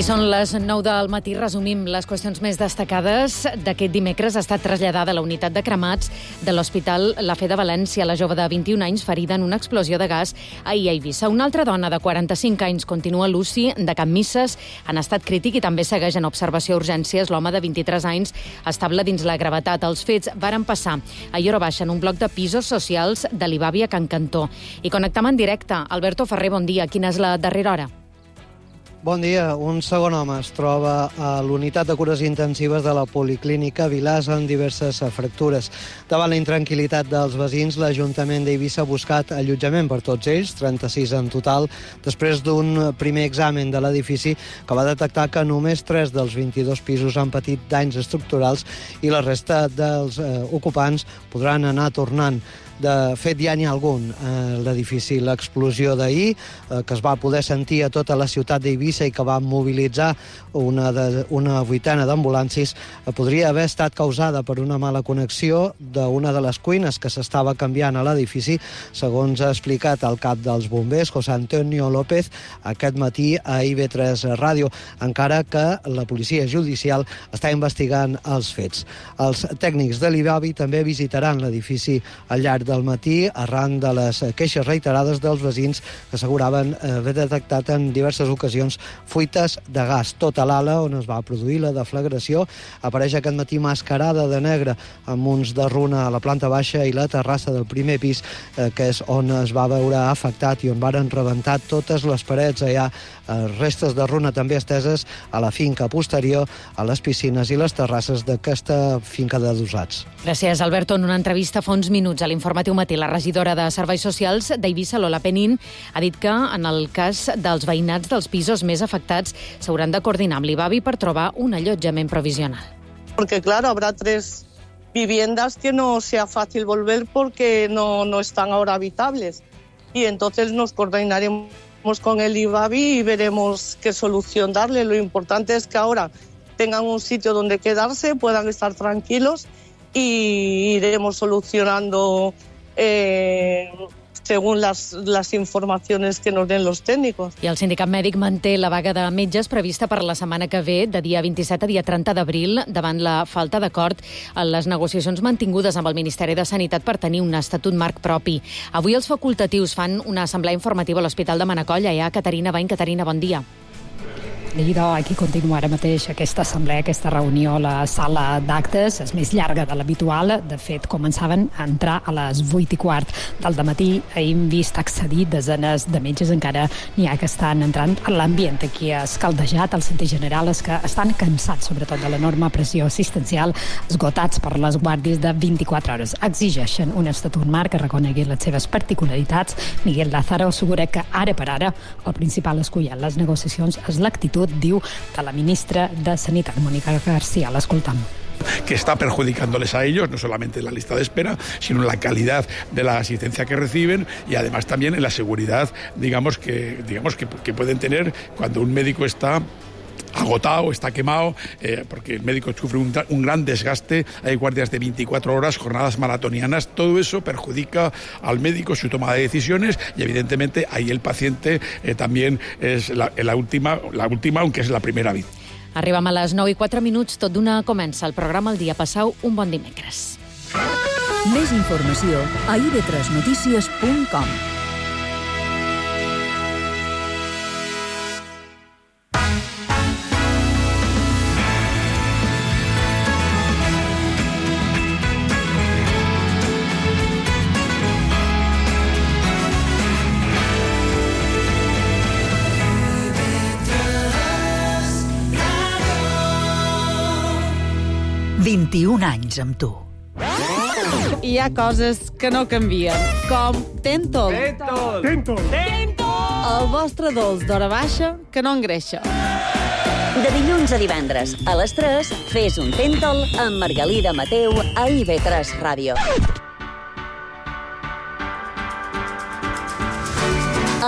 I són les 9 del matí. Resumim les qüestions més destacades d'aquest dimecres. Ha estat traslladada a la unitat de cremats de l'Hospital La Fe de València. La jove de 21 anys ferida en una explosió de gas ahir a Eivissa. Una altra dona de 45 anys continua l'UCI de Can Misses en estat crític i també segueix en observació a urgències l'home de 23 anys estable dins la gravetat. Els fets varen passar a Llora Baixa en un bloc de pisos socials de l'Ibàvia a Can Cantó. I connectam en directe. Alberto Ferrer, bon dia. Quina és la darrera hora? Bon dia. Un segon home es troba a l'unitat de cures intensives de la Policlínica Vilàs amb diverses fractures. Davant la intranquil·litat dels veïns, l'Ajuntament d'Eivissa ha buscat allotjament per tots ells, 36 en total, després d'un primer examen de l'edifici que va detectar que només 3 dels 22 pisos han patit danys estructurals i la resta dels ocupants podran anar tornant. De fet, ja n'hi ha algun a l'edifici. L'explosió d'ahir, que es va poder sentir a tota la ciutat d'Eivissa i que va mobilitzar una vuitena d'ambulàncies, podria haver estat causada per una mala connexió d'una de les cuines que s'estava canviant a l'edifici, segons ha explicat el cap dels bombers, José Antonio López, aquest matí a IB3 Ràdio, encara que la policia judicial està investigant els fets. Els tècnics de l'IBAVI també visitaran l'edifici al llarg del matí arran de les queixes reiterades dels veïns que asseguraven haver detectat en diverses ocasions fuites de gas. Tota l'ala on es va produir la deflagració apareix aquest matí mascarada de negre amb munts de runa a la planta baixa i la terrassa del primer pis, que és on es va veure afectat i on varen rebentar totes les parets. Hi ha restes de runa també esteses a la finca posterior, a les piscines i les terrasses d'aquesta finca d'adosats. Gràcies, Alberto. En una entrevista fa uns minuts a l'Informatiu Matí, la regidora de Serveis Socials d'Eivissa, Lola Penín, ha dit que en el cas dels veïnats dels pisos més afectats s'hauran de coordinar amb l'IBAVI per trobar un allotjament provisional. Porque claro, habrá 3 viviendas que no sea fácil volver porque no están ahora habitables. Y entonces nos coordinaremos con el IBAVI y veremos qué solución darle. Lo importante es que ahora tengan un sitio donde quedarse, puedan estar tranquilos y iremos solucionando según las informacions que nos den los tècnics. I el sindicat mèdic manté la vaga de metges prevista per la setmana que ve, de dia 27 a dia 30 d'abril, davant la falta d'acord en les negociacions mantingudes amb el Ministeri de Sanitat per tenir un estatut marc propi. Avui els facultatius fan una assemblea informativa a l'Hospital de Manacor. Hi ha Caterina Bain. Caterina, bon dia. Aquí continua ara mateix aquesta assemblea, aquesta reunió a la sala d'actes. És més llarga de l'habitual. De fet, començaven a entrar a les 8:15 del dematí. Hem vist accedir desenes de metges. Encara n'hi ha que estan entrant. L'ambient aquí escaldejat. El sentit general és que estan cansats, sobretot de l'enorme pressió assistencial, esgotats per les guàrdies de 24 hores. Exigeixen un estatut marc que reconegui les seves particularitats. Miguel Lázaro assegura que ara per ara el principal escull en les negociacions és l'actitud, diu, de la ministra de Sanitat, Mónica García. L'escoltam. Que está perjudicándoles a ellos, no solamente en la lista de espera, sino en la calidad de la asistencia que reciben y además también en la seguridad, digamos que pueden tener cuando un médico está agotado, está quemado, porque el médico sufre un gran desgaste, hay guardias de 24 horas, jornadas maratonianas, todo eso perjudica al médico, su toma de decisiones y evidentemente ahí el paciente también es la última, aunque es la primera vez. Arribem a les 9:04, tot d'una comença el programa El dia. Passau un bon dimecres. Més informació a ib3notícies.com. anys amb tu. Hi ha coses que no canvien, com Tentol. Tentol. El vostre dolç d'hora baixa que no engreixa. De dilluns a divendres, a les 3, fes un Tentol amb Margalida Mateu a IB3 Ràdio.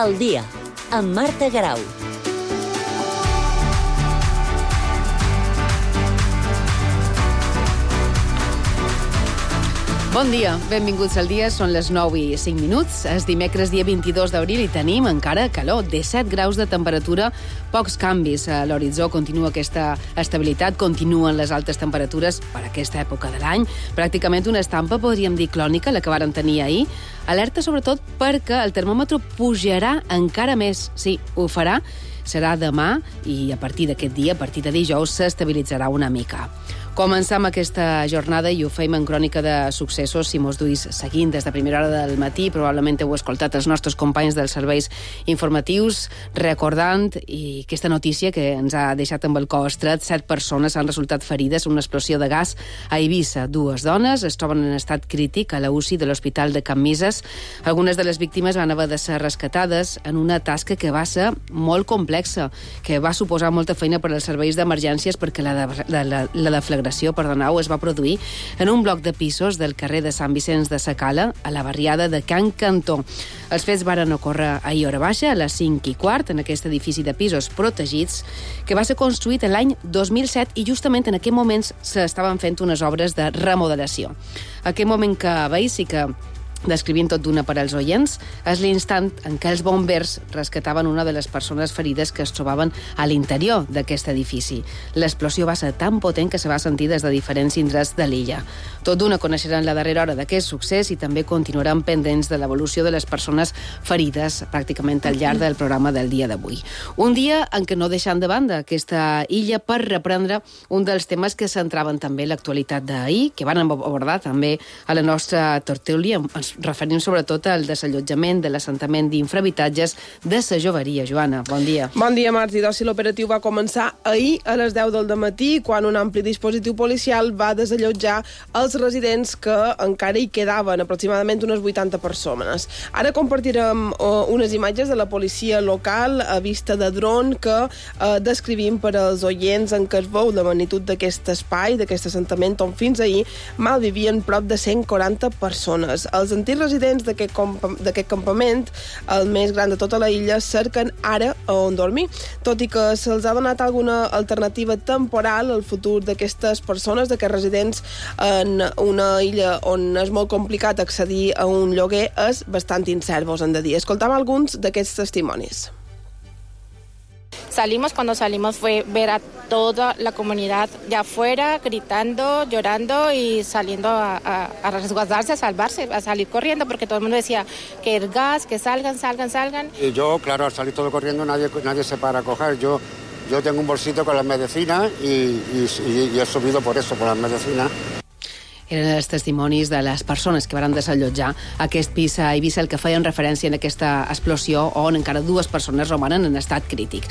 El dia, amb Marta Garau. Bon dia, benvinguts al dia, són les 9:05. És dimecres, dia 22 d'abril, i tenim encara calor, 17 graus de temperatura, pocs canvis a l'horitzó, continua aquesta estabilitat, continuen les altes temperatures per aquesta època de l'any, pràcticament una estampa, podríem dir, clònica, la que vàrem tenir ahir. Alerta sobretot perquè el termòmetre pujarà encara més, sí, ho farà, serà demà i a partir d'aquest dia, a partir de dijous, s'estabilitzarà una mica. Comencem aquesta jornada i ho feim en crònica de successos, si mos duis seguint des de primera hora del matí. Probablement heu escoltat els nostres companys dels serveis informatius recordant i aquesta notícia que ens ha deixat amb el cor estret. 7 persones han resultat ferides en una explosió de gas a Eivissa. 2 dones es troben en estat crític a la UCI de l'Hospital de Can Misses. Algunes de les víctimes van haver de ser rescatades en una tasca que va ser molt complexa, que va suposar molta feina per als serveis d'emergències perquè la deflagració es va produir en un bloc de pisos del carrer de Sant Vicenç de Sacala, a la barriada de Can Cantó. Els fets varen ocórrer ahir hora baixa, a les 5:15, en aquest edifici de pisos protegits, que va ser construït l'any 2007 i justament en aquest moment s'estaven fent unes obres de remodelació. Aquest moment que veig sí que descrivint tot d'una per als oients, és l'instant en què els bombers rescataven una de les persones ferides que es trobaven a l'interior d'aquest edifici. L'explosió va ser tan potent que se va sentir des de diferents indrets de l'illa. Tot d'una coneixeran la darrera hora d'aquest succés i també continuaran pendents de l'evolució de les persones ferides pràcticament al llarg del programa del dia d'avui. Un dia en què no deixant de banda aquesta illa per reprendre un dels temes que centraven també l'actualitat d'ahir, que van abordar també a la nostra tertúlia. Ens referim sobretot al desallotjament de l'assentament d'infrahabitatges de sa Joveria. Joana, bon dia. Bon dia, Martí. Si l'operatiu va començar ahir a les 10 del dematí, quan un ampli dispositiu policial va desallotjar els residents que encara hi quedaven, aproximadament unes 80 persones. Ara compartirem unes imatges de la policia local a vista de dron que descrivim per als oients en què es veu la magnitud d'aquest espai, d'aquest assentament on fins ahir malvivien prop de 140 persones. Els antics residents d'aquest campament, el més gran de tota la illa, cerquen ara a on dormir. Tot i que se'ls ha donat alguna alternativa temporal al futur d'aquestes persones, d'aquests residents en una illa on és molt complicat accedir a un lloguer, és bastant incert, vos hem de dir. Escoltam alguns d'aquests testimonis. Cuando salimos fue ver a toda la comunidad de afuera gritando, llorando y saliendo a resguardarse, a salvarse, a salir corriendo, porque todo el mundo decía que el gas, que salgan. Y yo, claro, al salir todo corriendo nadie se para a coger. Yo tengo un bolsito con las medicinas y he subido por eso, por las medicinas. Eren els testimonis de les persones que van desallotjar aquest pis a Eivissa, el que feien referència en aquesta explosió on encara 2 persones romanen en estat crític.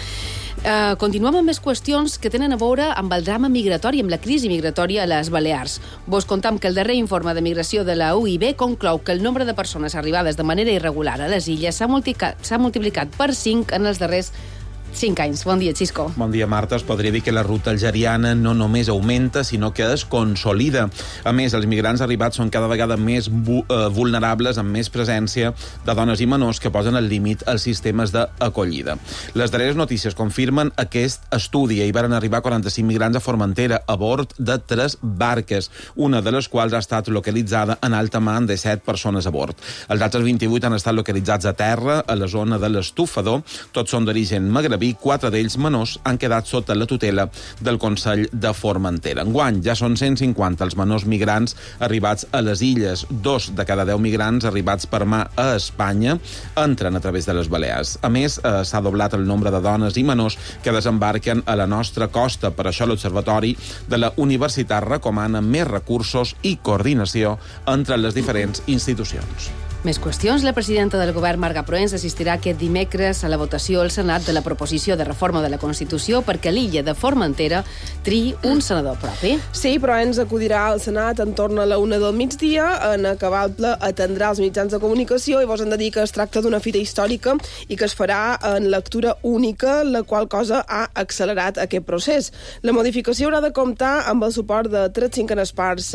Continuem amb més qüestions que tenen a veure amb el drama migratori, amb la crisi migratòria a les Balears. Vos contam que el darrer informe de migració de la UIB conclou que el nombre de persones arribades de manera irregular a les illes s'ha multiplicat per 5 en els darrers 5 anys. Bon dia, Xisco. Bon dia, Marta. Es podria dir que la ruta algeriana no només augmenta, sinó que es consolida. A més, els migrants arribats són cada vegada més vulnerables, amb més presència de dones i menors que posen al límit els sistemes d'acollida. Les darreres notícies confirmen aquest estudi. Hi van arribar 45 migrants a Formentera a bord de 3 barques, una de les quals ha estat localitzada en alta mar de 7 persones a bord. Els altres 28 han estat localitzats a terra, a la zona de l'Estufador. Tots són d'origen magrebí. 4 d'ells menors han quedat sota la tutela del Consell de Formentera. Enguany ja són 150 els menors migrants arribats a les illes. 2 de cada 10 migrants arribats per mà a Espanya entren a través de les Balears. A més, s'ha doblat el nombre de dones i menors que desembarquen a la nostra costa. Per això l'Observatori de la Universitat recomana més recursos i coordinació entre les diferents institucions. Més qüestions. La presidenta del govern, Marga Proens, assistirà aquest dimecres a la votació al Senat de la proposició de reforma de la Constitució perquè l'illa de Formentera triï un senador propi. Sí, Proens acudirà al Senat en torn a la 1 del migdia. En acabar el ple atendrà els mitjans de comunicació i vos hem de dir que es tracta d'una fita històrica i que es farà en lectura única, la qual cosa ha accelerat aquest procés. La modificació haurà de comptar amb el suport de 3/5 parts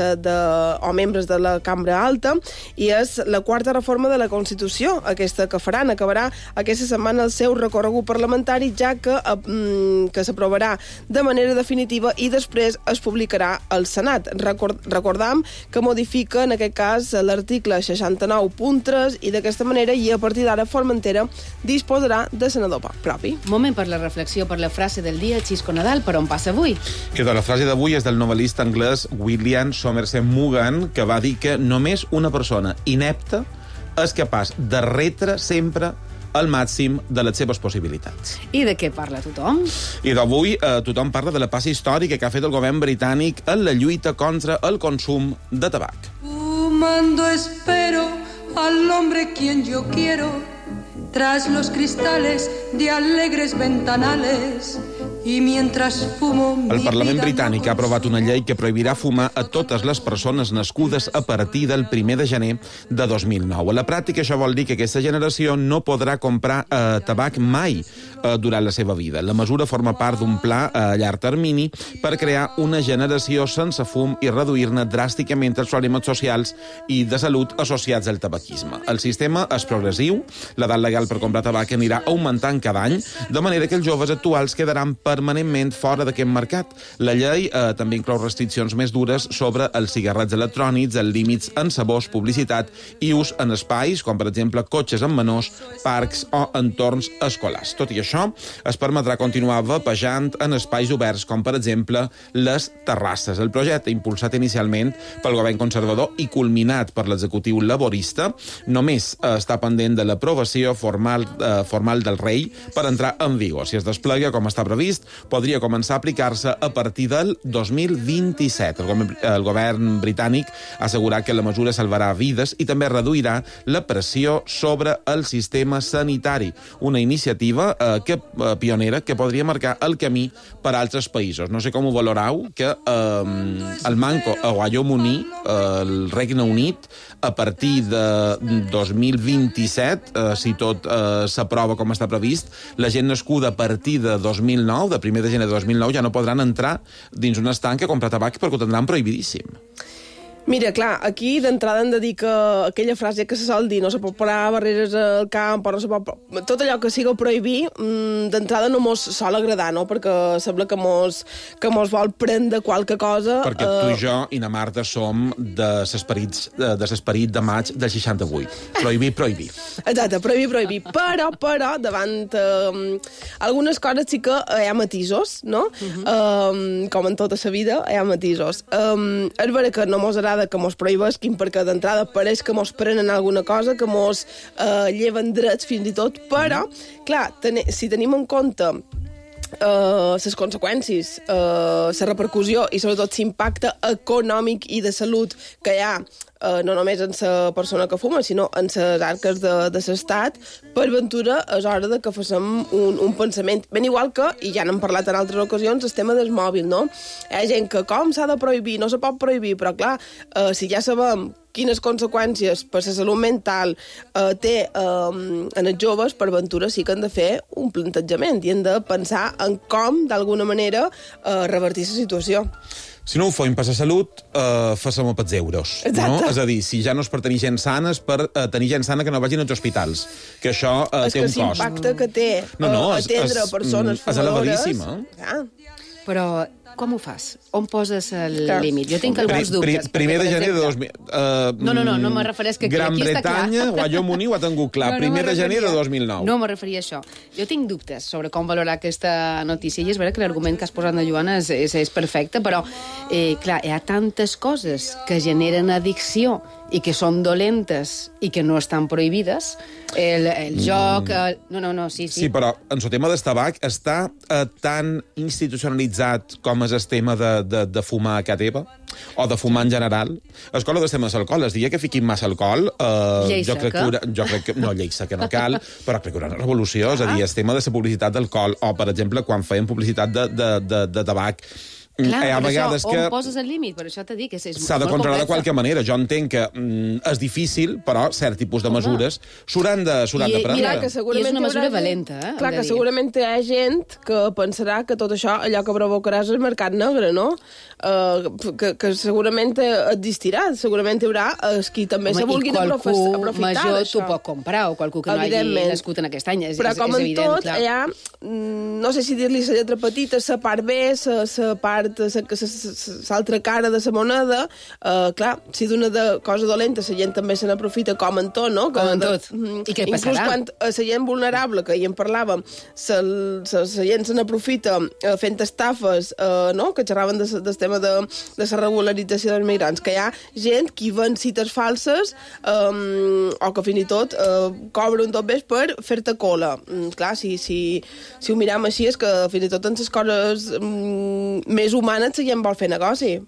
o membres de la Cambra Alta i és la quarta reforma de la Constitució, aquesta que faran. Acabarà aquesta setmana el seu recorregut parlamentari, ja que s'aprovarà de manera definitiva i després es publicarà al Senat. Recordam que modifica, en aquest cas, l'article 69.3 i d'aquesta manera, i a partir d'ara, Formentera disposarà de senador propi. Moment per la reflexió, per la frase del dia. Xisco Nadal, per on passa avui? La frase d'avui és del novel·lista anglès William Somerset Maugham, que va dir que només una persona inepta és capaç de retre sempre al màxim de les seves possibilitats. I de què parla tothom? I d'avui tothom parla de la passa històrica que ha fet el govern britànic en la lluita contra el consum de tabac. Fumando espero al hombre quien yo quiero, tras los cristales de alegres ventanales. El Parlament britànic ha aprovat una llei que prohibirà fumar a totes les persones nascudes a partir del 1 de gener de 2009. A la pràctica, això vol dir que aquesta generació no podrà comprar tabac mai durant la seva vida. La mesura forma part d'un pla a llarg termini per crear una generació sense fum i reduir-ne dràsticament els problemes socials i de salut associats al tabaquisme. El sistema és progressiu, l'edat legal per comprar tabac anirà augmentant cada any, de manera que els joves actuals quedaran permanentment fora d'aquest mercat. La llei també inclou restriccions més dures sobre els cigarrets electrònics, els límits en sabors, publicitat i ús en espais, com per exemple cotxes amb menors, parcs o entorns escolars. Tot i això, es permetrà continuar vapejant en espais oberts, com per exemple les terrasses. El projecte, impulsat inicialment pel govern conservador i culminat per l'executiu laborista, només està pendent de l'aprovació formal del rei per entrar en vigor. Si es desplega com està previst, podria començar a aplicar-se a partir del 2027. El govern britànic ha assegurat que la mesura salvarà vides i també reduirà la pressió sobre el sistema sanitari. Una iniciativa pionera que podria marcar el camí per a altres països. No sé com ho valorau, que el Manco a Wyoming, el Regne Unit, a partir de 2027, si tot s'aprova com està previst, la gent nascuda a partir de 2009, de 1 de gener de 2009, ja no podran entrar dins un estanc a comprar tabac perquè ho tindran prohibidíssim. Mira, clar, aquí d'entrada hem de dir que aquella frase que se sol dir, no se pot parar barreres al camp, o no se pot... Tot allò que siga prohibir, d'entrada no mos sol agradar, no? Perquè sembla que mos vol prendre qualque cosa... Perquè tu i jo i na Marta som de l'esperit de maig del 68. Prohibir. Exacte, prohibir. Però, davant algunes coses sí que hi ha matisos, no? Com en tota la vida, hi ha matisos. És vera que no mos agrada que mos prohibesquin perquè d'entrada pareix que mos prenen alguna cosa, que mos lleven drets fins i tot, però, clar, si tenim en compte les conseqüències, la repercussió i sobretot l'impacte econòmic i de salut que hi ha no només en la persona que fuma, sinó en les arques de l'estat, per ventura és hora de que facem un pensament. Ben igual que, i ja n'hem parlat en altres ocasions, el tema del mòbil, no? Hi ha gent que com s'ha de prohibir, no se pot prohibir, però clar, si ja sabem quines conseqüències per la salut mental té en els joves, per ventura sí que han de fer un plantejament i han de pensar en com, d'alguna manera, revertir la situació. Si no ho fem per la salut, fem-ho pels euros. No? És a dir, si ja no és per tenir gent sana, és per tenir gent sana que no vagin als hospitals. Que això té un cost. És que l'impacte que té atendre persones fumadores... És elevadíssima. Però com ho fas? On poses el límit? Jo tinc alguns dubtes. Primer de gener de 2000... No me refereix que Gran aquí està clar. Bretanya, Wyoming ho ha tingut clar. Primer de gener de 2009. No me referia a això. Jo tinc dubtes sobre com valorar aquesta notícia i és vera que l'argument que has posat de Joana és perfecte, però clar, hi ha tantes coses que generen addicció i que són dolentes i que no estan prohibides, el joc... No, sí. Sí, però en el tema del tabac està tan institucionalitzat com és el tema de fumar a casa teva, o de fumar en general. És com el tema de l'alcohol. El dia que fiquin massa alcohol... Llei seca. No, llei seca no cal, però crec que una revolució. És a dir, el tema de la publicitat d'alcohol, o, per exemple, quan feien publicitat de tabac, Clar, hi ha vegades això, que... on poses el límit? Per això t'he dit que és s'ha de controlar de qualque manera. Jo entenc que és difícil, però cert tipus de mesures s'hauran de prendre. Mira, que segurament I és una mesura valenta, Clar, que segurament hi ha gent que pensarà que tot això, allò que provocarà és el mercat negre, no? Que segurament existirà, segurament hi haurà qui també se vulguin aprofitar d'això. Major t'ho pot comprar, o qualcú que no hagi nascut en aquest any, és però com en evident, tot, hi ha, no sé si dir-li la lletra petita, la part B, la part l'altra cara de la moneda, clar, si d'una cosa dolenta la gent també se n'aprofita com en tot, no? Com en tot. I què passarà? Inclús quan la gent vulnerable, que ja en parlàvem, la gent se n'aprofita fent estafes, no? Que xerraven del tema de la regularització dels migrants, que hi ha gent que ven cites falses o que fins i tot cobren tot bé per fer-te cola. Clar, si ho miram així és que fins i tot en les coses més humanes la gent vol fer negoci.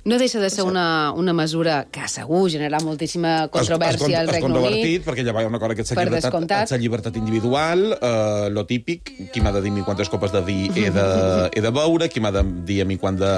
No deixa de ser una mesura que segur generarà moltíssima controvèrsia al Regne Unit. Perquè ja va una cosa que és la llibertat individual, lo típic, qui m'ha de dir a mi quantes copes de vi he de beure, qui m'ha de dir a mi quant de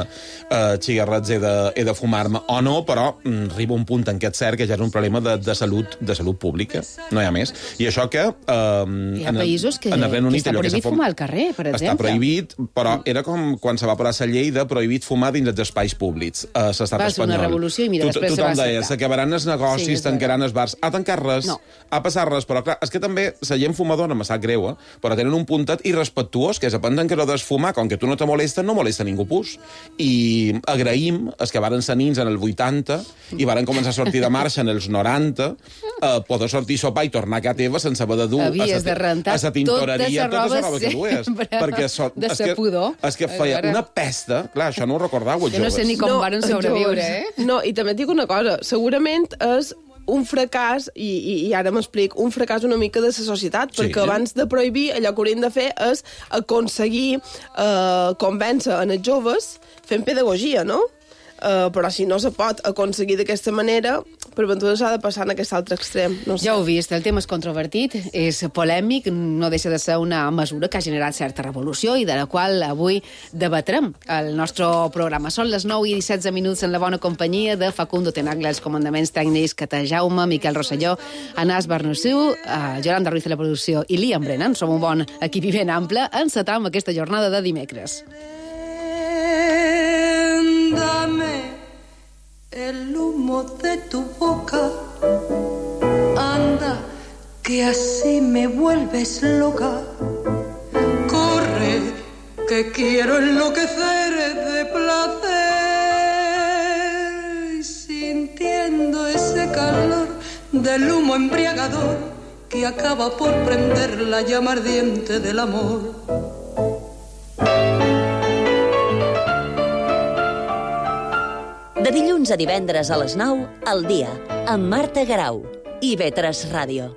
cigarrets he de fumar-me o no, però arriba un punt en què és cert que ja és un problema de salut pública, no hi ha més. I això que... Hi ha països que està prohibit fumar al carrer, per exemple. Està prohibit, però era com quan se va aprovar la llei de prohibit fumar dins els espais públics. L'estat espanyol. Va ser una revolució i mira, després se va acceptar. Tothom deia, s'acabaran els negocis, tancaran els bars. Ha tancat res, ha passat res, però clar, és que també la gent fumadora, me sap greu, però tenen un puntet irrespectuós, que és aprendre que no desfumar, com que tu no te molesta, no molesta ningú pus. I agraïm els que varen ser nins en el 80 i varen començar a sortir de marxa en els 90, poder sortir a sopar i tornar a casa teva sense haver de dur a la tintoreria totes les robes que dues. De sa pudor. És que feia una pesta, clar, això no ho recordàveu, els joves. Jo no sé ni com varen sobreviure, No, i també et dic una cosa, segurament és un fracàs, i ara m'explic, un fracàs una mica de la societat, perquè abans de prohibir allò que haurien de fer és aconseguir convèncer en els joves fent pedagogia, no? Però si no se pot aconseguir d'aquesta manera, per ventura s'ha de passar en aquest altre extrem. No sé. Ja ho he vist, el tema és controvertit, és polèmic, no deixa de ser una mesura que ha generat certa revolució i de la qual avui debatrem al nostre programa. Són les 9:17 en la bona companyia de Facundo Tenaglia, els comandaments tècnics, Cata Jaume, Miquel Rosselló, Anàs Barnusiu, Yolanda Ruiz de la producció i Liam Brennan. Som un bon equip i ben ample. Encetam aquesta jornada de dimecres. Dame el humo de tu boca, anda, que así me vuelves loca. Corre, que quiero enloquecer de placer, sintiendo ese calor del humo embriagador que acaba por prender la llama ardiente del amor. De dilluns a divendres a les 9, al dia, amb Marta Garau i IB3 Ràdio.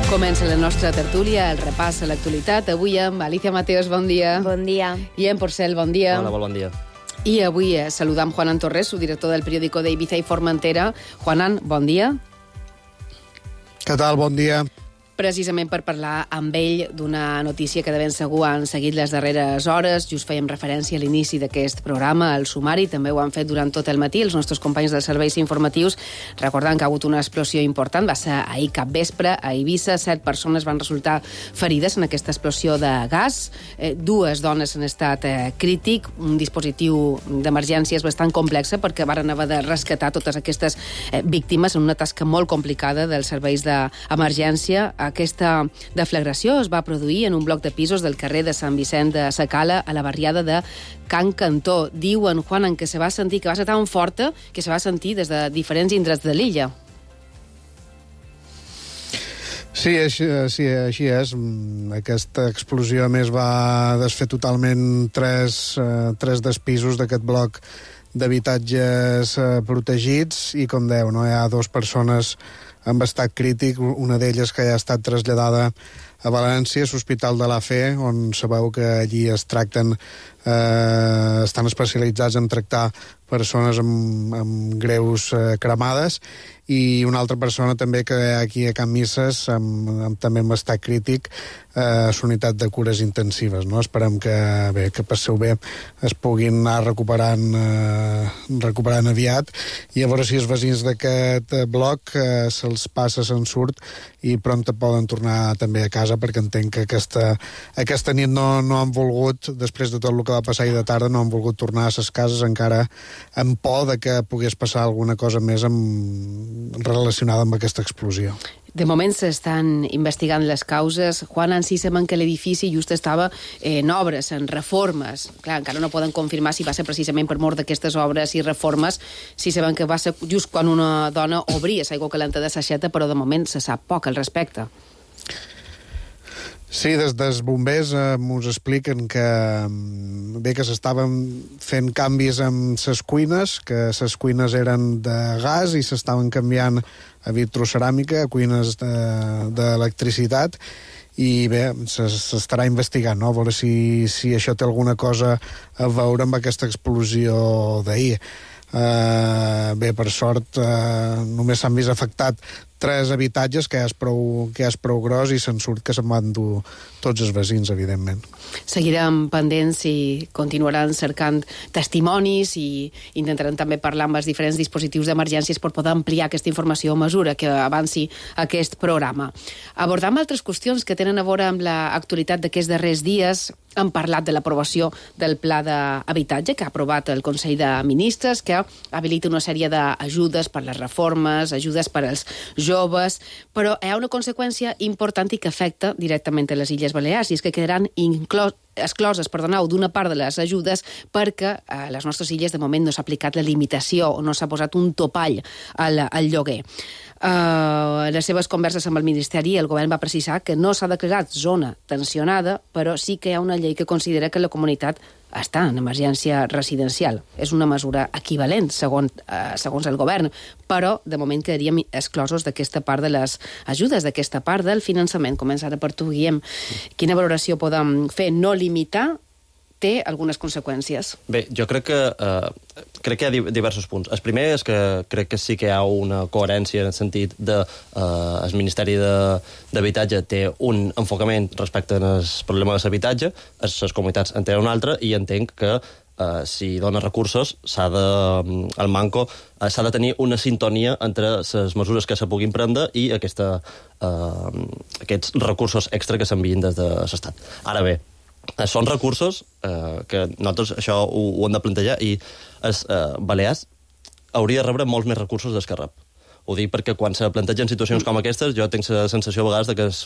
Comença la nostra tertúlia, el repàs a l'actualitat. Avui amb Alicia Mateos, bon dia. Bon dia. I en Porcel, bon dia. Hola, bon dia. I avui saludam Juanan Torres, subdirector del periòdico de Ibiza i Formentera. Juanan, bon dia. Què tal? Bon dia. Precisament per parlar amb ell d'una notícia que de ben segur han seguit les darreres hores. Just fèiem referència a l'inici d'aquest programa, al sumari, també ho han fet durant tot el matí els nostres companys dels serveis informatius, recordant que ha hagut una explosió important, va ser ahir capvespre a Eivissa, 7 persones van resultar ferides en aquesta explosió de gas, 2 dones en estat crític, un dispositiu d'emergències bastant complexa perquè varen haver de rescatar totes aquestes víctimes en una tasca molt complicada dels serveis d'emergència. Aquesta deflagració es va produir en un bloc de pisos del carrer de Sant Vicent de Sacala, a la barriada de Can Cantó. Diuen, Juan, que se va sentir, que va ser tan forta que se va sentir des de diferents indrets de l'illa. Sí, així és. Aquesta explosió, a més, va desfer totalment tres dels pisos d'aquest bloc d'habitatges protegits i, com deu, no? Hi ha 2 persones amb estat crític, una d'elles que ja ha estat traslladada a València, és l'Hospital de la Fe, on sabeu que allí es tracten, estan especialitzats en tractar persones amb greus cremades, i una altra persona també que aquí a Can Misses, també amb estat crític, a la unitat de cures intensives. No? Esperem que passeu bé, es puguin anar recuperant aviat, i a veure si els veïns d'aquest bloc se'ls passa, se'n surt, i prompte poden tornar també a casa, perquè entenc que aquesta nit no han volgut, després de tot el que va passar ahir de tarda, no han volgut tornar a les cases encara amb por de que pogués passar alguna cosa més relacionada amb aquesta explosió. De moment s'estan investigant les causes. Juan, en si sabem que l'edifici just estava en obres, en reformes. Clar, encara no poden confirmar si va ser precisament per mort d'aquestes obres i reformes, si sabem que va ser just quan una dona obria l'aigua calenta de l'aixeta, però de moment se sap poc al respecte. Sí, des dels bombers mos expliquen que s'estaven fent canvis amb les cuines, que les cuines eren de gas i s'estaven canviant a vitroceràmica, a cuines d'electricitat, i bé, s'estarà investigant, no? A veure si això té alguna cosa a veure amb aquesta explosió d'ahir. Bé, per sort, només s'han vist afectat 3 habitatges, que és prou gros, i se'n surt que se'n van dur tots els veïns, evidentment. Seguirem pendents i continuaran cercant testimonis i intentaran també parlar amb els diferents dispositius d'emergències per poder ampliar aquesta informació a mesura que avanci aquest programa. Abordam altres qüestions que tenen a veure amb l'actualitat d'aquests darrers dies. Hem parlat de l'aprovació del pla d'habitatge que ha aprovat el Consell de Ministres, que habilita una sèrie d'ajudes per les reformes, ajudes per als joves, però hi ha una conseqüència important i que afecta directament a les Illes Balears, i és que quedaran excloses d'una part de les ajudes perquè a les nostres illes de moment no s'ha aplicat la limitació o no s'ha posat un topall al lloguer. En les seves converses amb el Ministeri, el govern va precisar que no s'ha declarat zona tensionada, però sí que hi ha una llei que considera que la comunitat està en emergència residencial. És una mesura equivalent, segons el govern, però de moment quedaríem exclosos d'aquesta part de les ajudes, d'aquesta part del finançament. Començant per tu, Guillem. Quina valoració podem fer? No limitar té algunes conseqüències. Bé, jo crec que hi ha diversos punts. El primer és que crec que sí que hi ha una coherència en el sentit de el Ministeri d'Habitatge té un enfocament respecte al problema de l'habitatge, les comunitats en tenen un altre, i entenc que si dona recursos el manco s'ha de tenir una sintonia entre les mesures que se puguin prendre i aquests recursos extra que s'envien des de l'Estat. Ara bé, són recursos que nosaltres això ho hem de plantejar, i Balears hauria de rebre molts més recursos dels que rep. Ho dic perquè quan se plantegen situacions com aquestes jo tinc la sensació a vegades que és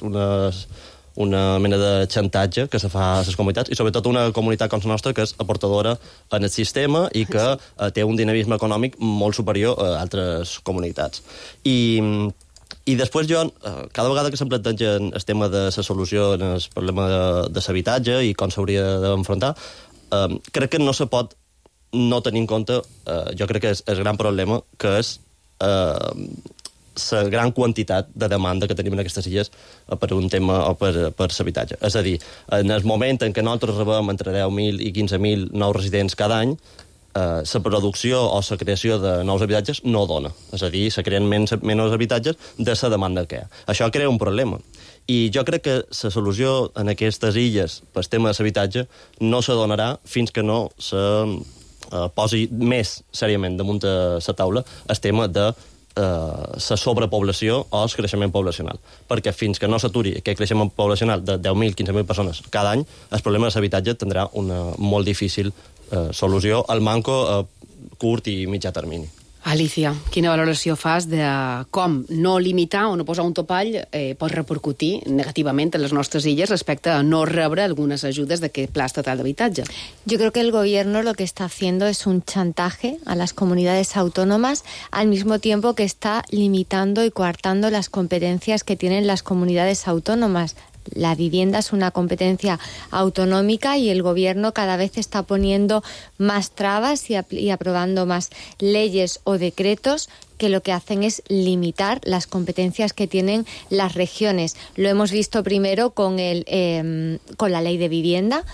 una mena de xantatge que se fa a les comunitats, i sobretot una comunitat com la nostra que és aportadora en el sistema i que té un dinamisme econòmic molt superior a altres comunitats. I després jo, cada vegada que se'm plantegen el tema de la solució en el problema de l'habitatge i com s'hauria d'enfrontar, crec que no se pot no tenir en compte, jo crec que és el gran problema, que és la gran quantitat de demanda que tenim en aquestes illes per un tema o per l'habitatge. És a dir, en el moment en què nosaltres rebem entre 10.000 i 15.000 nous residents cada any, la producció o la creació de nous habitatges no dona. És a dir, se creen menys habitatges de la demanda que hi ha. Això crea un problema. I jo crec que la solució en aquestes illes pel tema de l'habitatge no se donarà fins que no se posi més seriament damunt de la taula el tema de la sobrepoblació o el creixement poblacional. Perquè fins que no s'aturi aquest creixement poblacional de 10.000, 15.000 persones cada any, el problema de l'habitatge tindrà una molt difícil solució al manco a curt i mitjà termini. Alicia, quina valoració fas de com no limitar o no posar un topall pot repercutir negativament en les nostres illes respecte a no rebre algunes ajudes d'aquest Pla Estatal d'Habitatge? Yo creo que el gobierno lo que está haciendo es un chantaje a las comunidades autónomas al mismo tiempo que está limitando y coartando las competencias que tienen las comunidades autónomas. La vivienda es una competencia autonómica y el gobierno cada vez está poniendo más trabas y aprobando más leyes o decretos que lo que hacen es limitar las competencias que tienen las regiones. Lo hemos visto primero con la ley de vivienda,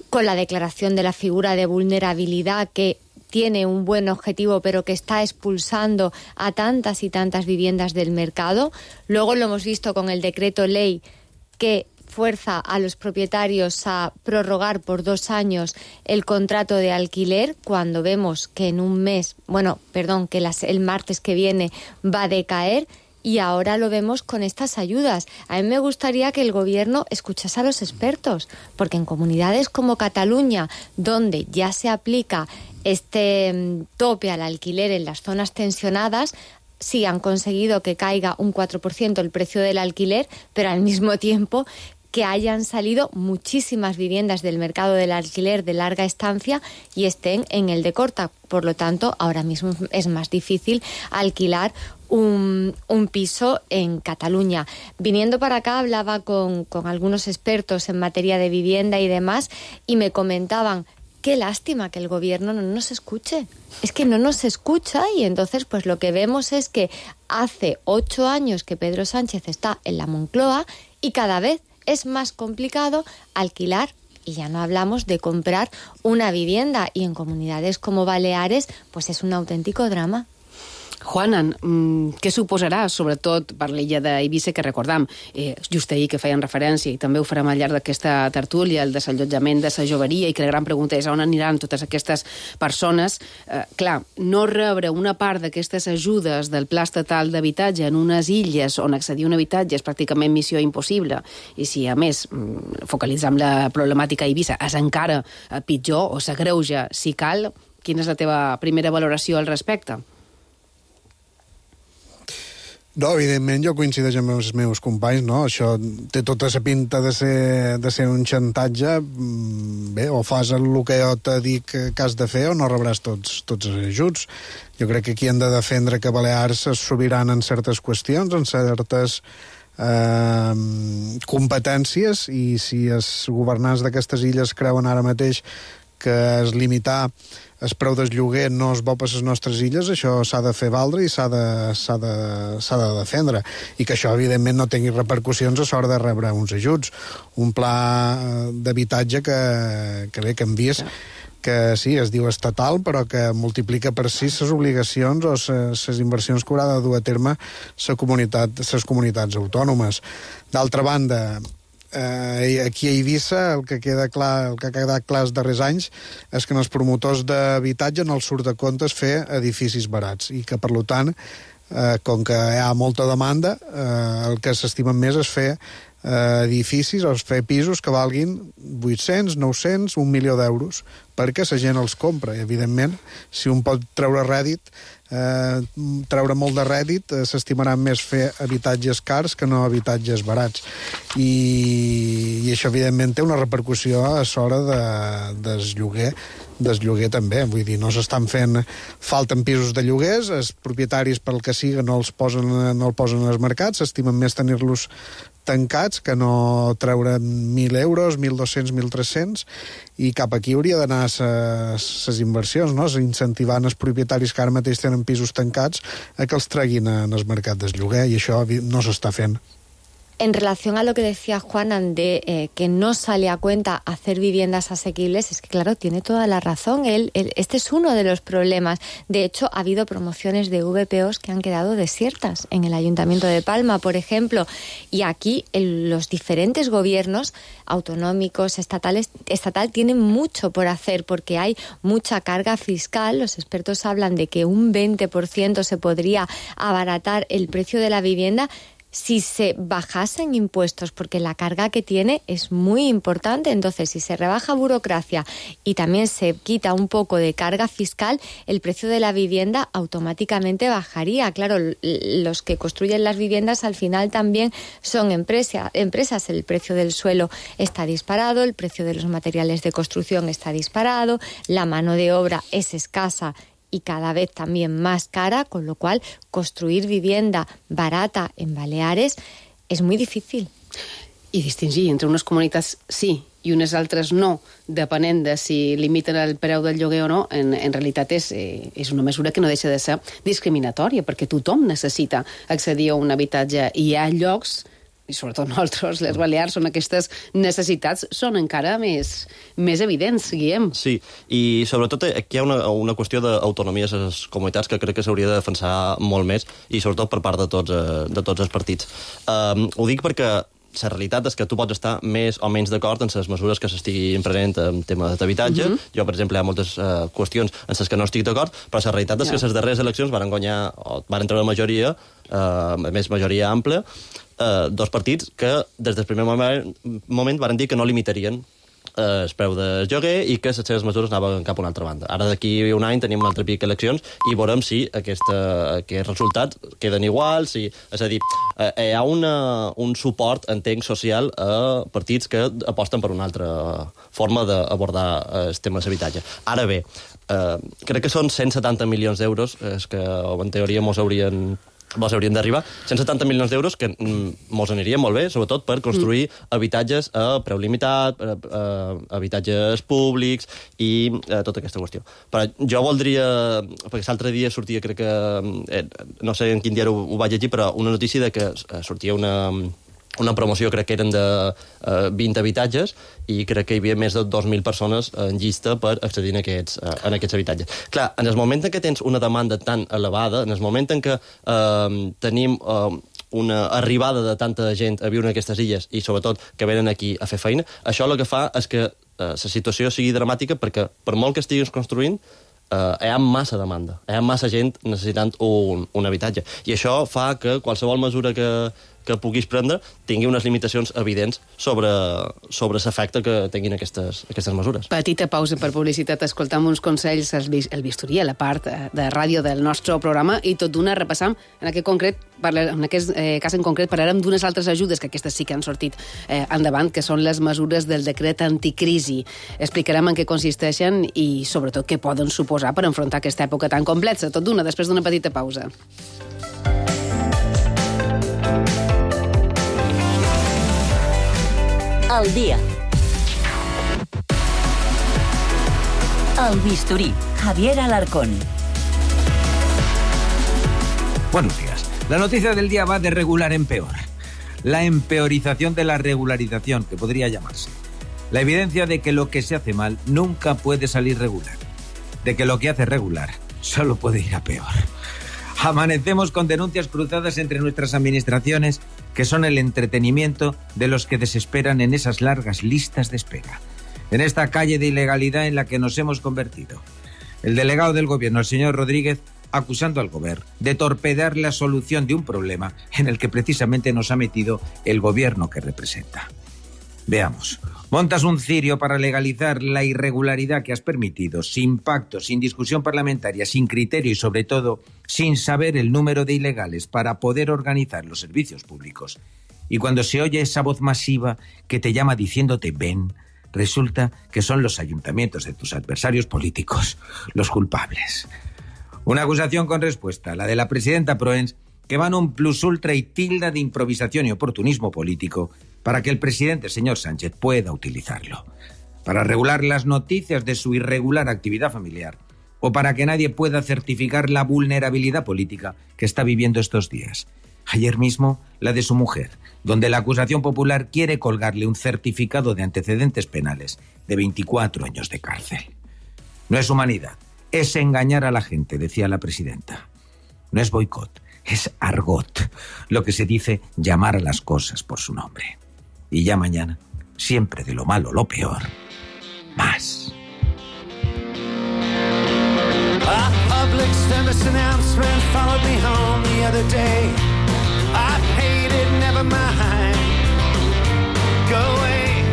con la declaración de la figura de vulnerabilidad, que tiene un buen objetivo, pero que está expulsando a tantas y tantas viviendas del mercado. Luego lo hemos visto con el decreto ley que fuerza a los propietarios a prorrogar por 2 años el contrato de alquiler, cuando vemos que en un mes, que el martes que viene va a decaer. Y ahora lo vemos con estas ayudas. A mí me gustaría que el gobierno escuchase a los expertos, porque en comunidades como Cataluña, donde ya se aplica este tope al alquiler en las zonas tensionadas, sí han conseguido que caiga un 4% el precio del alquiler, pero al mismo tiempo que hayan salido muchísimas viviendas del mercado del alquiler de larga estancia y estén en el de corta. Por lo tanto, ahora mismo es más difícil alquilar un piso en Cataluña. Viniendo para acá hablaba con algunos expertos en materia de vivienda y demás, y me comentaban: qué lástima que el gobierno no nos escuche. Es que no nos escucha, y entonces pues lo que vemos es que hace 8 años que Pedro Sánchez está en la Moncloa y cada vez es más complicado alquilar, y ya no hablamos de comprar una vivienda, y en comunidades como Baleares pues és un autèntic drama. Juanan, què suposarà, sobretot per l'illa d'Eivissa, que recordam, just ahir que feien referència, i també ho farem al llarg d'aquesta tertúlia, el desallotjament de la joveria, i que la gran pregunta és on aniran totes aquestes persones. Clar, no rebre una part d'aquestes ajudes del Pla Estatal d'Habitatge en unes illes on accedir a un habitatge és pràcticament missió impossible, i si a més focalitzam la problemàtica a Eivissa és encara pitjor o s'agreuja si cal, quina és la teva primera valoració al respecte? No, evidentment, jo coincideixo amb els meus companys, no? Això té tota la pinta de ser un xantatge. Bé, o fas el que jo te dic que has de fer o no rebràs tots els ajuts. Jo crec que aquí hem de defendre que Balears és sobirana en certes qüestions, en certes competències, i si els governants d'aquestes illes creuen ara mateix que es limitar el preu del lloguer no és bo per les nostres illes, això s'ha de fer valdre i s'ha de defendre, i que això evidentment no tingui repercussions a l'hora de rebre uns ajuts. Un pla d'habitatge que hem vist que sí, es diu estatal, però que multiplica per 6 les obligacions o les inversions que haurà de dur a terme les comunitats autònomes. D'altra banda, aquí a Eivissa el que ha quedat clar els darrers anys és que en els promotors d'habitatge no els surt de comptes fer edificis barats, i que per tant, com que hi ha molta demanda, el que s'estimen més és fer edificis o fer pisos que valguin 800, 900, 1 milió d'euros, perquè la gent els compra. I evidentment, si un pot treure molt de rèdit, s'estimarà més fer habitatges cars que no habitatges barats, i això evidentment té una repercussió a l'hora del lloguer també. Vull dir, no s'estan fent, falten pisos de lloguers, els propietaris pel que siga no el posen als mercats, s'estimen més tenir-los tancats que no treure 1.000 euros, 1.200, 1.300, i cap aquí hauria d'anar les inversions, no? Incentivant els propietaris que ara mateix tenen pisos tancats a que els treguin en el mercat del lloguer, i això no s'està fent. En relación a lo que decía Juanan de que no sale a cuenta hacer viviendas asequibles, es que claro, tiene toda la razón. Este es uno de los problemas. De hecho, ha habido promociones de VPOs que han quedado desiertas en el Ayuntamiento de Palma, por ejemplo. Y aquí los diferentes gobiernos autonómicos, estatal, tienen mucho por hacer porque hay mucha carga fiscal. Los expertos hablan de que un 20% se podría abaratar el precio de la vivienda si se bajasen impuestos, porque la carga que tiene es muy importante. Entonces, si se rebaja burocracia y también se quita un poco de carga fiscal, el precio de la vivienda automáticamente bajaría. Claro, los que construyen las viviendas al final también son empresas. El precio del suelo está disparado, el precio de los materiales de construcción está disparado, la mano de obra es escasa y cada vez también más cara, con lo cual construir vivienda barata en Baleares es muy difícil. i distingir entre unes comunitats sí i unes altres no, depenent de si limiten el preu del lloguer o no, en realitat és una mesura que no deixa de ser discriminatòria, perquè tothom necessita accedir a un habitatge i hi ha llocs, i sobretot nosaltres, les Balears, on aquestes necessitats són encara més evidents, Guillem. Sí, i sobretot aquí hi ha una qüestió d'autonomia a les comunitats que crec que s'hauria de defensar molt més, i sobretot per part de tots els partits. Ho dic perquè la realitat és que tu pots estar més o menys d'acord en les mesures que s'estiguin prenent en tema d'habitatge. Jo, per exemple, hi ha moltes qüestions en les que no estic d'acord, però la realitat és que les darreres eleccions van guanyar, o van treure majoria, a més majoria àmplia, dos partits que des del primer moment van dir que no limitarien el preu del lloguer i que les seves mesures anaven cap a una altra banda. Ara d'aquí un any tenim un altre pic d'eleccions i veurem si aquests resultats queden iguals. És a dir, hi ha un suport, entenc, social a partits que aposten per una altra forma d'abordar el tema de l'habitatge. Ara bé, crec que són 170 milions d'euros que en teoria mos haurien d'arribar, 170 milions d'euros que mos anirien molt bé, sobretot per construir habitatges a preu limitat, habitatges públics i tota aquesta qüestió. Però jo voldria, perquè l'altre dia sortia, crec que, no sé en quin diari ho vaig llegir, però una notícia de que sortia una promoció, crec que eren de 20 habitatges, i crec que hi havia més de 2.000 persones en llista per accedir en aquests habitatges. Clar, en el moment en què tens una demanda tan elevada, en el moment en què tenim una arribada de tanta gent a viure en aquestes illes i, sobretot, que venen aquí a fer feina, això el que fa és que la situació sigui dramàtica, perquè per molt que estiguis construint, hi ha massa demanda, hi ha massa gent necessitant un habitatge. I això fa que qualsevol mesura que puguis prendre tingui unes limitacions evidents sobre l'efecte que tinguin aquestes mesures. Petita pausa per publicitat, escoltam uns consells, el bisturí, a la part de ràdio del nostre programa, i tot d'una repassam, en aquest cas en concret parlarem d'unes altres ajudes, que aquestes sí que han sortit endavant, que són les mesures del decret anticrisi. Explicarem en què consisteixen i, sobretot, què poden suposar per enfrontar aquesta època tan complexa. Tot d'una, després d'una petita pausa. Al día. El bisturí, Javier Alarcón. Buenos días. La noticia del día va de regular en peor. La empeorización de la regularización, que podría llamarse. La evidencia de que lo que se hace mal nunca puede salir regular. De que lo que hace regular solo puede ir a peor. Amanecemos con denuncias cruzadas entre nuestras administraciones, que son el entretenimiento de los que desesperan en esas largas listas de espera. En esta calle de ilegalidad en la que nos hemos convertido. El delegado del gobierno, el señor Rodríguez, acusando al gobierno de torpedear la solución de un problema en el que precisamente nos ha metido el gobierno que representa. Veamos. Montas un cirio para legalizar la irregularidad que has permitido, sin pacto, sin discusión parlamentaria, sin criterio y, sobre todo, sin saber el número de ilegales para poder organizar los servicios públicos. Y cuando se oye esa voz masiva que te llama diciéndote ven, resulta que son los ayuntamientos de tus adversarios políticos los culpables. Una acusación con respuesta, la de la presidenta Proens, que van un plus ultra y tilda de improvisación y oportunismo político para que el presidente, señor Sánchez, pueda utilizarlo. Para regular las noticias de su irregular actividad familiar o para que nadie pueda certificar la vulnerabilidad política que está viviendo estos días. Ayer mismo, la de su mujer, donde la acusación popular quiere colgarle un certificado de antecedentes penales de 24 años de cárcel. No es humanidad, es engañar a la gente, decía la presidenta. No es boicot, es argot, lo que se dice llamar a las cosas por su nombre. Y ya mañana, siempre de lo malo lo peor, más. A public service announcement followed me home the other day. I hate it, never mind. Go away.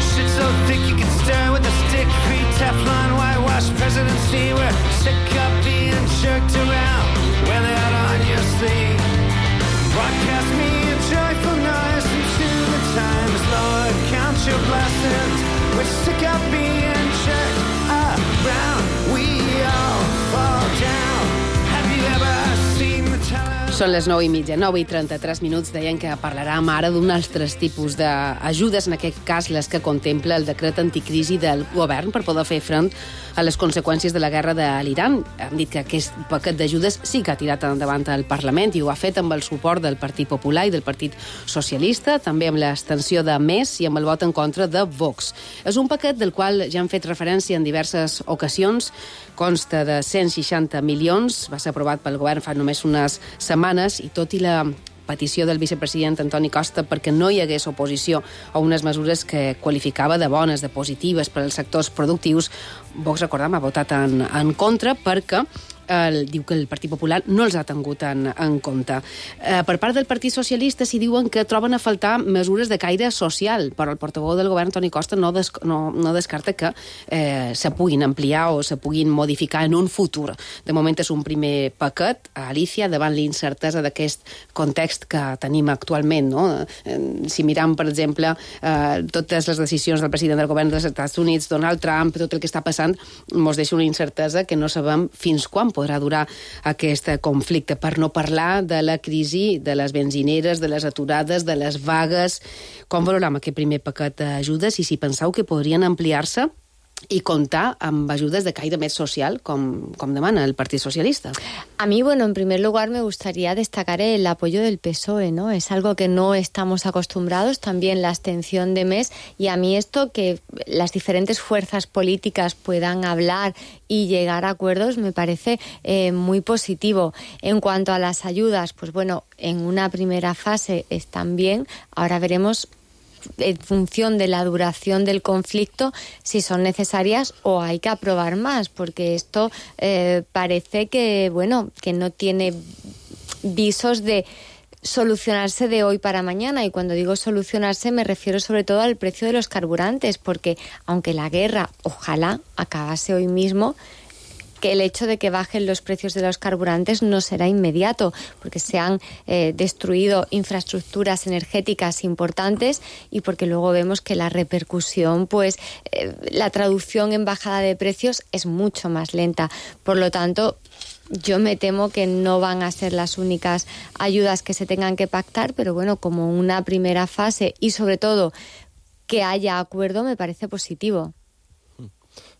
Shit so thick you can stir with a stick. Pre-Teflon, whitewash presidency. We're sick of being jerked around. Wear that on your sleeve. Broadcast me a joyful noise into the times. Lord, count your blessings. We're sick of being jerked around. We all fall down. Have you ever seen the television? Són les 9:30, 9:33, deien que parlarem ara d'un altres tipus d'ajudes, en aquest cas les que contempla el decret anticrisi del govern per poder fer front a les conseqüències de la guerra de l'Iran. Hem dit que aquest paquet d'ajudes sí que ha tirat endavant el Parlament i ho ha fet amb el suport del Partit Popular i del Partit Socialista, també amb l'extensió de MES i amb el vot en contra de Vox. És un paquet del qual ja hem fet referència en diverses ocasions, consta de 160 milions, va ser aprovat pel govern fa només unes setmanes i tot i la petició del vicepresident Antoni Costa perquè no hi hagués oposició a unes mesures que qualificava de bones, de positives per als sectors productius, Vox, recordem, ha votat en contra perquè diu que el Partit Popular no els ha tingut en compte. Per part del Partit Socialista s'hi diuen que troben a faltar mesures de caire social, però el portaveu del govern, Toni Costa, no descarta que se puguin ampliar o se puguin modificar en un futur. De moment és un primer paquet, Alicia, davant l'incertesa d'aquest context que tenim actualment. No? Si miram, per exemple, totes les decisions del president del govern dels Estats Units, Donald Trump, tot el que està passant, ens deixa una incertesa que no sabem fins quan podrà durar aquest conflicte, per no parlar de la crisi de les benzineres, de les aturades, de les vagues. Com valorem aquest primer paquet d'ajudes i si penseu que podrien ampliar-se y contar amb ayudas de caire més social, com demana el Partido Socialista? A mí, bueno, en primer lugar me gustaría destacar el apoyo del PSOE, ¿no? Es algo que no estamos acostumbrados, también la abstención de MES, y a mí esto que las diferentes fuerzas políticas puedan hablar y llegar a acuerdos me parece muy positivo. En cuanto a las ayudas, pues bueno, en una primera fase están bien, ahora veremos en función de la duración del conflicto si son necesarias o hay que aprobar más, porque esto parece que, bueno, que no tiene visos de solucionarse de hoy para mañana, y cuando digo solucionarse me refiero sobre todo al precio de los carburantes, porque aunque la guerra ojalá acabase hoy mismo, que el hecho de que bajen los precios de los carburantes no será inmediato, porque se han destruido infraestructuras energéticas importantes y porque luego vemos que la repercusión, pues la traducción en bajada de precios es mucho más lenta. Por lo tanto, yo me temo que no van a ser las únicas ayudas que se tengan que pactar, pero bueno, como una primera fase y sobre todo que haya acuerdo me parece positivo.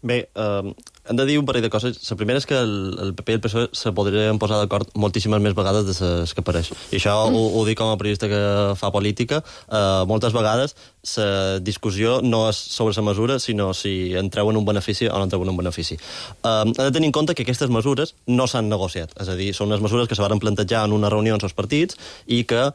Bé, hem de dir un parell de coses. La primera és que el PP i el PSOE se podrien posar d'acord moltíssimes més vegades de les que apareix. I això ho dic com a periodista que fa política. Moltes vegades la discussió no és sobre la mesura, sinó si en treuen un benefici o no en treuen un benefici. Hem de tenir en compte que aquestes mesures no s'han negociat. És a dir, són unes mesures que se van plantejar en una reunió amb els partits i que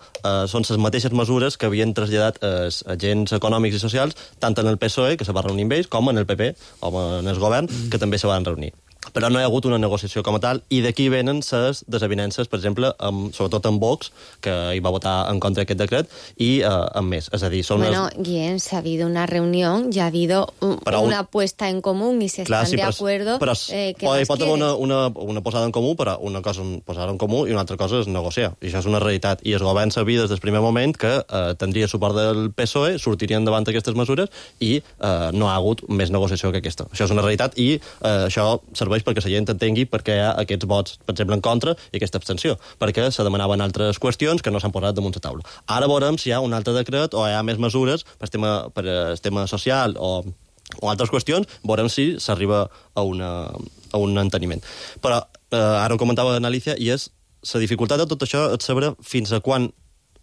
són les mateixes mesures que havien traslladat els agents econòmics i socials, tant en el PSOE, que se va reunir amb ells, com en el PP, com en el govern, que també se van reunir. Però no hi ha hagut una negociació com a tal, i d'aquí venen les desavinences, per exemple, sobretot amb Vox, que hi va votar en contra d'aquest decret, i amb més. És a dir, són bueno, Guillem, si ha habido una reunión, ya ha habido una puesta en común y se están de acuerdo. Però hi pot haver una posada en comú, però una cosa és posar en comú i una altra cosa és negociar. I això és una realitat. I el govern sabia des del primer moment que tindria suport del PSOE, sortirien davant aquestes mesures i no ha hagut més negociació que aquesta. Això és una realitat i això serveix perquè la gent entengui per què hi ha aquests vots, per exemple, en contra i aquesta abstenció, perquè se demanaven altres qüestions que no s'han posat damunt la taula. Ara veurem si hi ha un altre decret o hi ha més mesures per el tema social o altres qüestions, veurem si s'arriba a un enteniment. Però ara ho comentava l'Alicia, i és la dificultat de tot això és saber fins a quan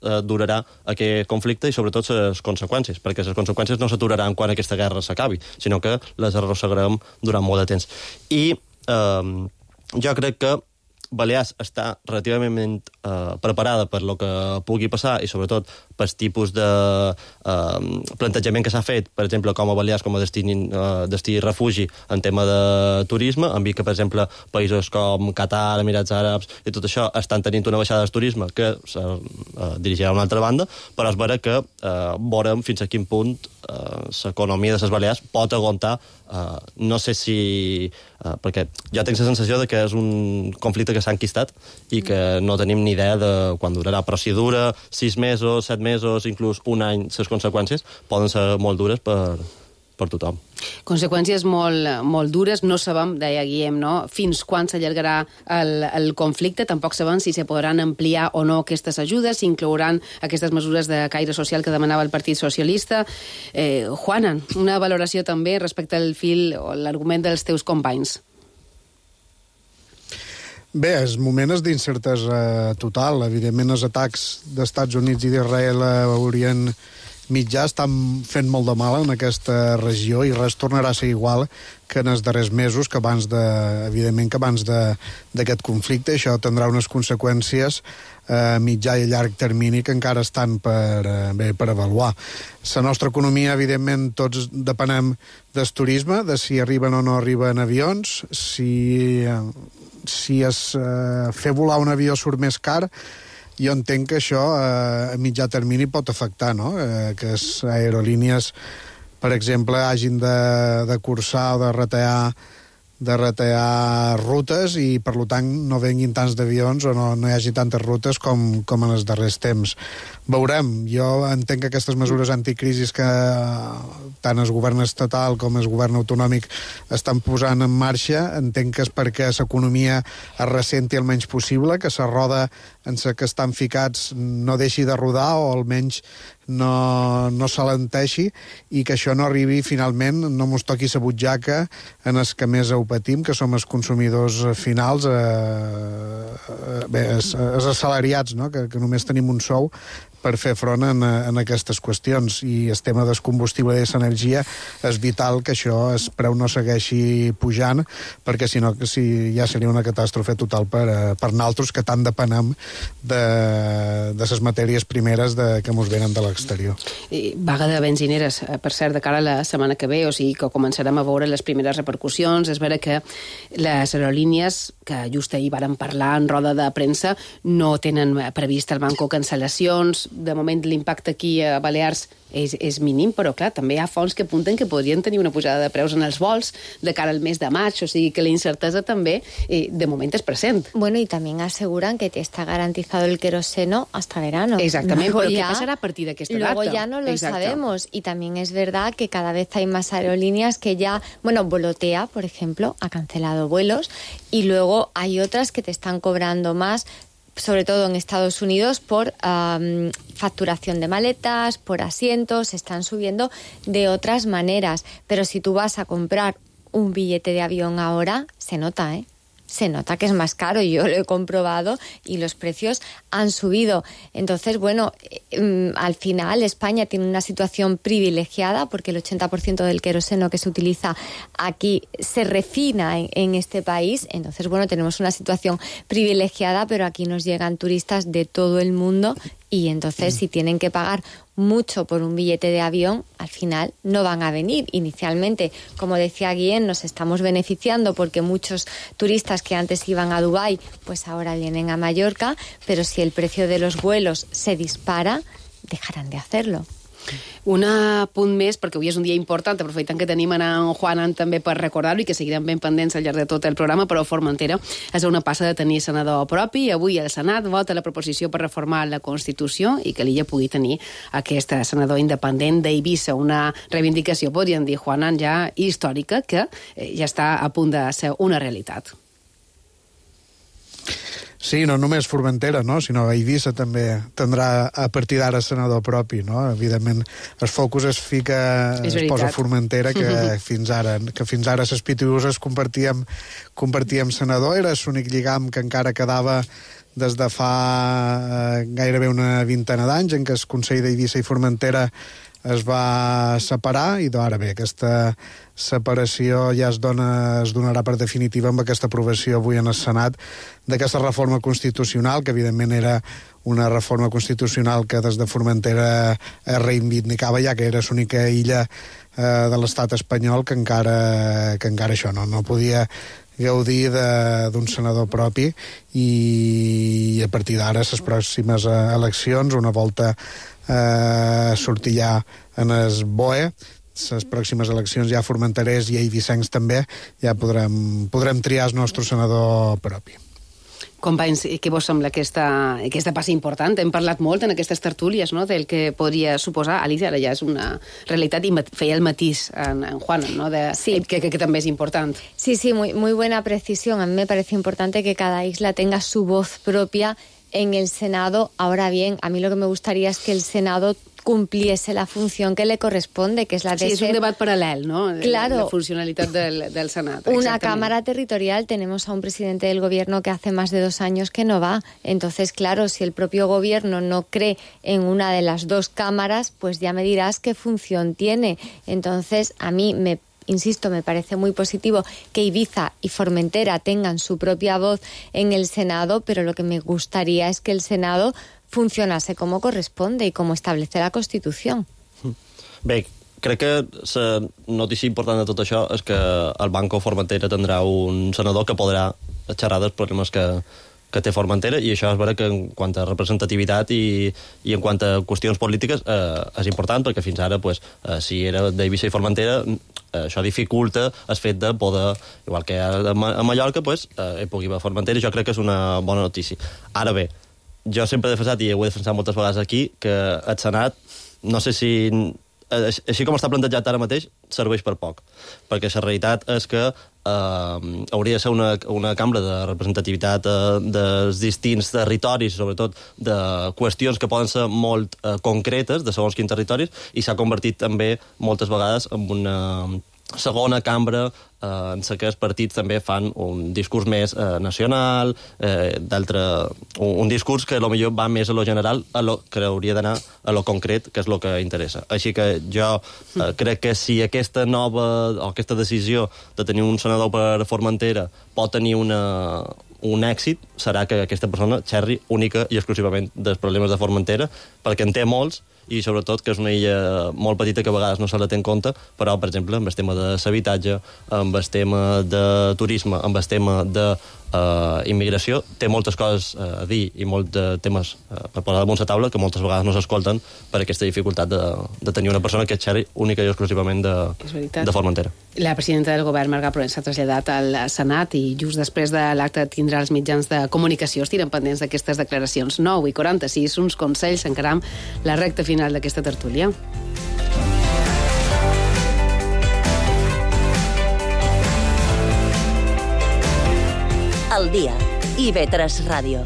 durarà aquest conflicte i sobretot les conseqüències, perquè les conseqüències no s'aturaran quan aquesta guerra s'acabi, sinó que les arrossegarem durant molt de temps. I jo crec que Balears està relativament preparada per lo que pugui passar i sobretot pel tipus de plantejament que s'ha fet, per exemple, com a Balears com a destí refugi en tema de turisme, en que, per exemple, països com Qatar, Emirats Àrabs i tot això estan tenint una baixada del turisme que se dirigirà a una altra banda, però és vera que veurem fins a quin punt l'economia de les Balears pot aguantar, no sé si... perquè jo tinc la sensació de que és un conflicte que s'ha enquistat i que no tenim ni idea de quan durarà, però si dura 6 mesos, 7 mesos, inclús un any, les conseqüències poden ser molt dures per per tothom. Conseqüències molt dures. No sabem, deia Guillem, no? Fins quan s'allargarà el conflicte. Tampoc sabem si se podran ampliar o no aquestes ajudes, si inclouran aquestes mesures de caire social que demanava el Partit Socialista. Juana, una valoració també respecte al fil o l'argument dels teus companys. Bé, el moment és d'incertesa total. Evidentment, els atacs d'Estats Units i d'Israel a Orient Mitjà estan fent molt de mal en aquesta regió i res tornarà a ser igual que en els darrers mesos, evidentment que abans d'aquest conflicte. Això tindrà unes conseqüències a mitjà i llarg termini que encara estan per avaluar. La nostra economia, evidentment, tots depenem del turisme, de si arriben o no arriben avions, si fer volar un avió surt més car. Jo entenc que això a mitjà termini pot afectar, no? Que les aerolínies, per exemple, hagin de cursar o de retallar rutes i, per tant, no venguin tants d'avions o no hi hagi tantes rutes com en els darrers temps. Veurem. Jo entenc que aquestes mesures anticrisis que tant el govern estatal com el govern autonòmic estan posant en marxa, entenc que és perquè l'economia es ressenti el menys possible, que la roda en la que estan ficats no deixi de rodar o almenys no s'alenteixi i que això no arribi finalment, no mos toqui la butxaca en els que més ho patim, que som els consumidors finals, els assalariats, no? que només tenim un sou per fer front en aquestes qüestions. I el tema del combustible i de l'energia és vital que això, el preu no segueixi pujant, perquè si no ja seria una catàstrofe total per naltros que tant depenem de les matèries primeres que mos venen de l'exterior. Vaga de benzineres, per cert, de cara a la setmana que ve, o sigui que començarem a veure les primeres repercussions. És vera que les aerolínies, que just ahir varen parlar en roda de premsa, no tenen previst el banco cancel·lacions. De moment l'impacte aquí a Balears és mínim, però clar, també hi ha fonts que apunten que podrien tenir una pujada de preus en els vols de cara al mes de maig, o sigui que la incertesa també de moment es present. Bueno, y también aseguran que te está garantizado el queroseno hasta verano. Exactamente, pero ¿qué pasará a partir de esta data? Luego ya no lo sabemos, y también es verdad que cada vez hay más aerolíneas que ya, Volotea, por ejemplo, ha cancelado vuelos, y luego hay otras que te están cobrando más, sobre todo en Estados Unidos, por facturación de maletas, por asientos, están subiendo de otras maneras. Pero si tú vas a comprar un billete de avión ahora, se nota, ¿eh? Se nota que es más caro, yo lo he comprobado y los precios han subido. Entonces, bueno, al final España tiene una situación privilegiada porque el 80% del queroseno que se utiliza aquí se refina en este país. Entonces, bueno, tenemos una situación privilegiada, pero aquí nos llegan turistas de todo el mundo y entonces si tienen que pagar mucho por un billete de avión, al final no van a venir. Inicialmente, como decía Guillén, nos estamos beneficiando porque muchos turistas que antes iban a Dubái, pues ahora vienen a Mallorca, pero si el precio de los vuelos se dispara, dejarán de hacerlo. Un punt més, perquè avui és un dia important, aprofitant que tenim en Juanan també per recordar-ho i que seguirem ben pendents al llarg de tot el programa, però Formentera és una passa de tenir senador propi. Avui el Senat vota la proposició per reformar la Constitució i que l'illa pugui tenir aquest senador independent d'Eivissa, una reivindicació, podríem dir, Juanan, ja històrica, que ja està a punt de ser una realitat. Sí, no només Formentera, no? Sinó Eivissa també tindrà a partir d'ara senador propi, no? Evidentment, el focus es posa a Formentera, que fins ara les Pitiuses compartíem senador, era l'únic lligam que encara quedava des de fa gairebé una vintena d'anys, en què el Consell d'Eivissa i Formentera es va separar i ara bé, aquesta separació ja es donarà per definitiva amb aquesta aprovació avui en el Senat d'aquesta reforma constitucional, que evidentment era una reforma constitucional que des de Formentera es reivindicava, ja que era l'única illa de l'estat espanyol que encara això no podia gaudir d'un senador propi, i a partir d'ara les pròximes eleccions, una volta sortir ja en el BOE, les pròximes eleccions ja formenterers i eivissencs també, ja podrem triar el nostre senador propi. Companys, què vos sembla aquesta passa important? Hem parlat molt en aquestes tertúlies, no?, del que podria suposar. Alicia, ara ja és una realitat, i feia el matís en Juana, no?, que també és important. Sí, muy buena precisión. A mí me parece importante que cada isla tenga su voz propia en el Senado. Ahora bien, a mí lo que me gustaría es que el Senado cumpliese la función que le corresponde, que es la de ser... Sí, és un debat paral·lel, no? Claro. La funcionalitat del Senat. Una Cámara territorial, tenemos a un presidente del gobierno que hace más de 2 años que no va. Entonces, claro, si el propio gobierno no cree en una de las 2 cámaras, pues ya me dirás qué función tiene. Entonces, a mí insisto, me parece muy positivo que Ibiza y Formentera tengan su propia voz en el Senado, pero lo que me gustaría es que el Senado funcionase como corresponde y como establece la Constitución. Bé, crec que la notícia important de tot això és que el Banco Formentera tindrà un senador que podrà xerrar dels problemes que té Formentera, i això és vera que en quant a representativitat i en quant a qüestions polítiques és important, perquè fins ara, si era d'Eivissa i Formentera, això dificulta el fet de poder, igual que a Mallorca, pugui haver Formentera, i jo crec que és una bona notícia. Ara bé, jo sempre he defensat, i ho he defensat moltes vegades aquí, que el Senat, no sé si... Així com està plantejat ara mateix, serveix per poc. Perquè la realitat és que hauria de ser una cambra de representativitat dels distints territoris, sobretot de qüestions que poden ser molt concretes, de segons quins territoris, i s'ha convertit també moltes vegades en una segona cambra en què els partits també fan un discurs més nacional, un discurs que potser va més a lo general, que hauria d'anar a lo concret, que és el que interessa. Així que jo crec que si aquesta decisió de tenir un senador per Formentera pot tenir un èxit, serà que aquesta persona xerri única i exclusivament dels problemes de Formentera, perquè en té molts, i sobretot que és una illa molt petita que a vegades no se la té en compte, però, per exemple, amb el tema de l'habitatge, amb el tema de turisme, amb el tema d'immigració, té moltes coses a dir i molts temes per posar damunt la taula que moltes vegades no s'escolten per aquesta dificultat de tenir una persona que xerri única i exclusivament de Formentera. La presidenta del govern, Marga Proens, s'ha traslladat al Senat i just després de l'acte tindrà els mitjans de comunicació. Estiren pendents d'aquestes declaracions. 9:46, uns consells, encaram la recta final d'aquesta tertúlia. El dia. IB3 Ràdio.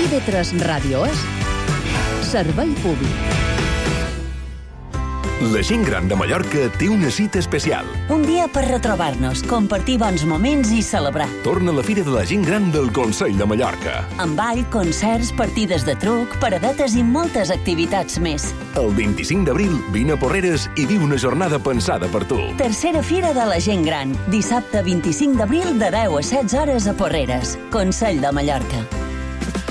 IB3 Ràdio és servei públic. La gent gran de Mallorca té una cita especial. Un dia per retrobar-nos, compartir bons moments i celebrar. Torna la Fira de la Gent Gran del Consell de Mallorca. Amb ball, concerts, partides de truc, paradetes i moltes activitats més. El 25 d'abril, vine a Porreres i viu una jornada pensada per tu. Tercera Fira de la Gent Gran, dissabte 25 d'abril de 10 a 16 hores a Porreres. Consell de Mallorca.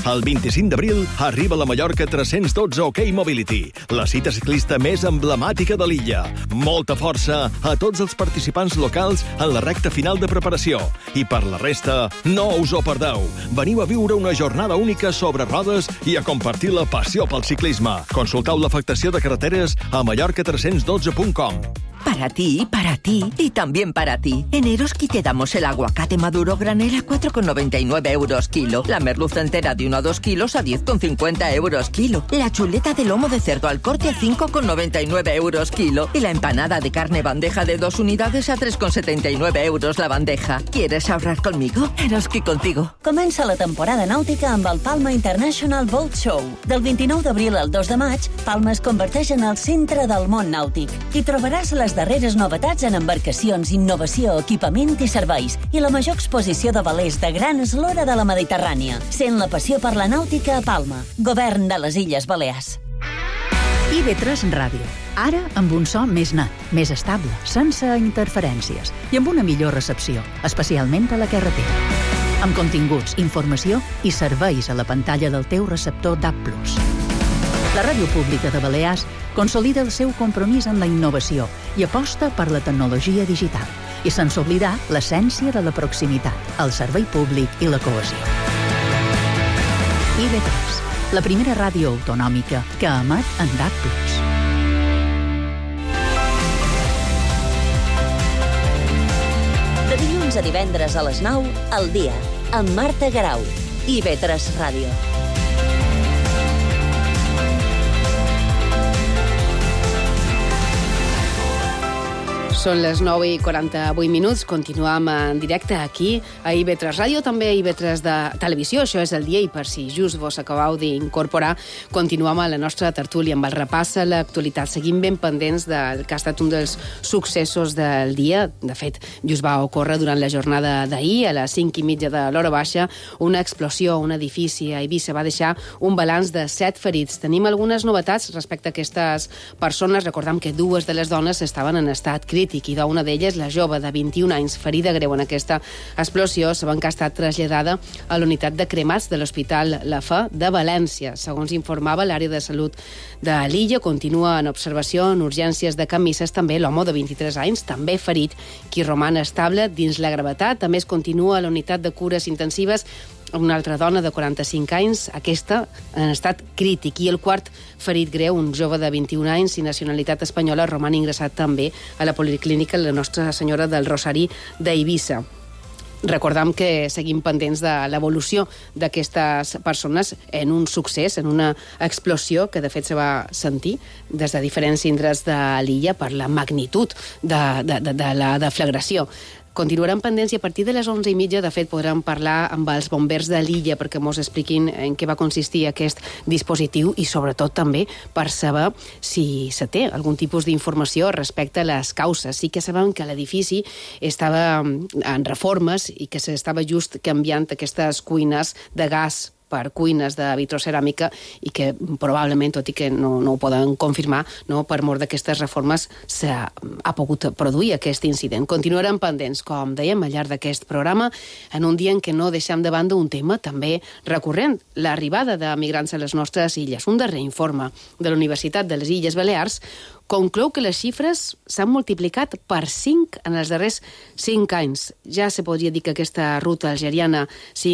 El 25 d'abril arriba la Mallorca 312 OK Mobility, la cita ciclista més emblemàtica de l'illa. Molta força a tots els participants locals en la recta final de preparació. I per la resta, no us ho perdeu. Veniu a viure una jornada única sobre rodes i a compartir la passió pel ciclisme. Consulteu l'afectació de carreteres a mallorca312.com. Para ti y también para ti. En Eroski te damos el aguacate maduro granel a 4,99 euros kilo. La merluza entera de 1 a 2 kilos a 10,50 euros kilo. La chuleta de lomo de cerdo al corte a 5,99 euros kilo. Y la empanada de carne bandeja de 2 unidades a 3,79 euros la bandeja. ¿Quieres ahorrar conmigo? Eroski contigo. Comença la temporada nàutica amb el Palma International Boat Show. Del 29 d'abril al 2 de maig, Palma es converteix en el centre del món nàutic. Hi trobaràs les darreres novetats en embarcacions, innovació, equipament i serveis i la major exposició de velers de gran eslora de la Mediterrània. Sent la passió per la nàutica a Palma. Govern de les Illes Balears. IB3 Ràdio. Ara amb un so més net, més estable, sense interferències i amb una millor recepció, especialment a la carretera. Amb continguts, informació i serveis a la pantalla del teu receptor DAB+. La Ràdio Pública de Balears consolida el seu compromís amb la innovació i aposta per la tecnologia digital i sense oblidar l'essència de la proximitat, el servei públic i la cohesió. IB3, la primera ràdio autonòmica que emet en DAB+. De dilluns dilluns a divendres a les 9, al dia, amb Marta Garau. IB3 Ràdio. Són les 9:48. Continuem en directe aquí a IB3 Ràdio, també a IB3 de Televisió. Això és el dia i per si just vos acabeu d'incorporar, continuem a la nostra tertúlia amb el repàs a l'actualitat. Seguim ben pendents del que ha estat un dels successos del dia. De fet, just va ocórrer durant la jornada d'ahir, a les 5:30 de l'hora baixa, una explosió a un edifici a Eivissa va deixar un balanç de 7 ferits. Tenim algunes novetats respecte a aquestes persones. Recordem que 2 de les dones estaven en estat crític i d'una d'elles, la jove de 21 anys, ferida greu en aquesta explosió, sabem que ha estat traslladada a la unitat de cremats de l'Hospital La Fe de València. Segons informava l'àrea de salut de l'illa, continua en observació en urgències de Can Misses també l'home de 23 anys, també ferit, qui roman estable dins la gravetat. A més, continua a la unitat de cures intensives una altra dona de 45 anys, aquesta en estat crític, i el quart ferit greu, un jove de 21 anys i nacionalitat espanyola, roman ingressat també a la Policlínica la Nostra Senyora del Rosari d'Eivissa. Recordam que seguim pendents de l'evolució d'aquestes persones en un succés, en una explosió que de fet se va sentir des de diferents indrets de l'illa per la magnitud de la deflagració. Continuarem pendents i a partir de les 11:30, de fet, podrem parlar amb els bombers de l'illa perquè mos expliquin en què va consistir aquest dispositiu i, sobretot, també per saber si se té algun tipus d'informació respecte a les causes. Sí que sabem que l'edifici estava en reformes i que s'estava just canviant aquestes cuines de gas per cuines de vitroceràmica i que probablement, tot i que no ho poden confirmar, per mort d'aquestes reformes s'ha pogut produir aquest incident. Continuarem pendents, com dèiem, al llarg d'aquest programa, en un dia en què no deixem de banda un tema també recurrent, l'arribada de migrants a les nostres illes. Un darrer informe de la Universitat de les Illes Balears conclou que les xifres s'han multiplicat per 5 en els darrers 5 anys. Ja se podria dir que aquesta ruta algeriana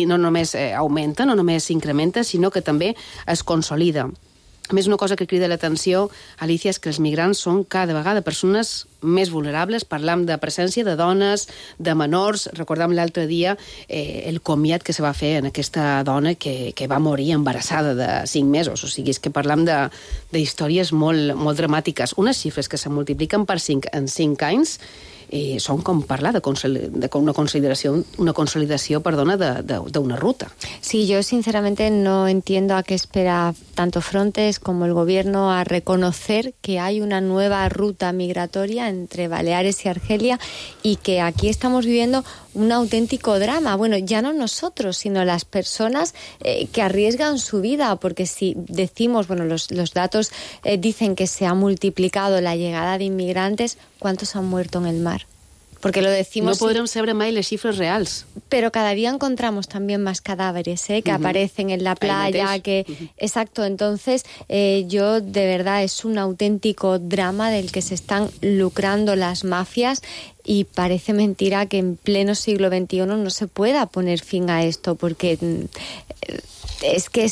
no només augmenta, no només s'incrementa, sinó que també es consolida. A més, una cosa que crida l'atenció, Alicia, és que els migrants són cada vegada persones més vulnerables. Parlam de presència de dones, de menors. Recordam l'altre dia el comiat que se va fer en aquesta dona que va morir embarassada de 5 mesos. O sigui, és que parlam d'històries molt dramàtiques. Unes xifres que se multipliquen per 5 en 5 anys són com parlar de una consolidació d'una ruta. Sí, yo sinceramente no entiendo a qué espera tanto Frontex como el gobierno a reconocer que hay una nueva ruta migratoria entre Baleares y Argelia y que aquí estamos viviendo un auténtico drama. Bueno, ya no nosotros, sino las personas que arriesgan su vida, porque si decimos, bueno, los datos dicen que se ha multiplicado la llegada de inmigrantes, ¿cuántos han muerto en el mar? Porque lo decimos... No podrem saber mai les xifres reals. Pero cada día encontramos también más cadáveres, que aparecen en la playa, Exacto, entonces yo de verdad es un auténtico drama del que se están lucrando las mafias y parece mentira que en pleno siglo XXI no se pueda poner fin a esto, porque es que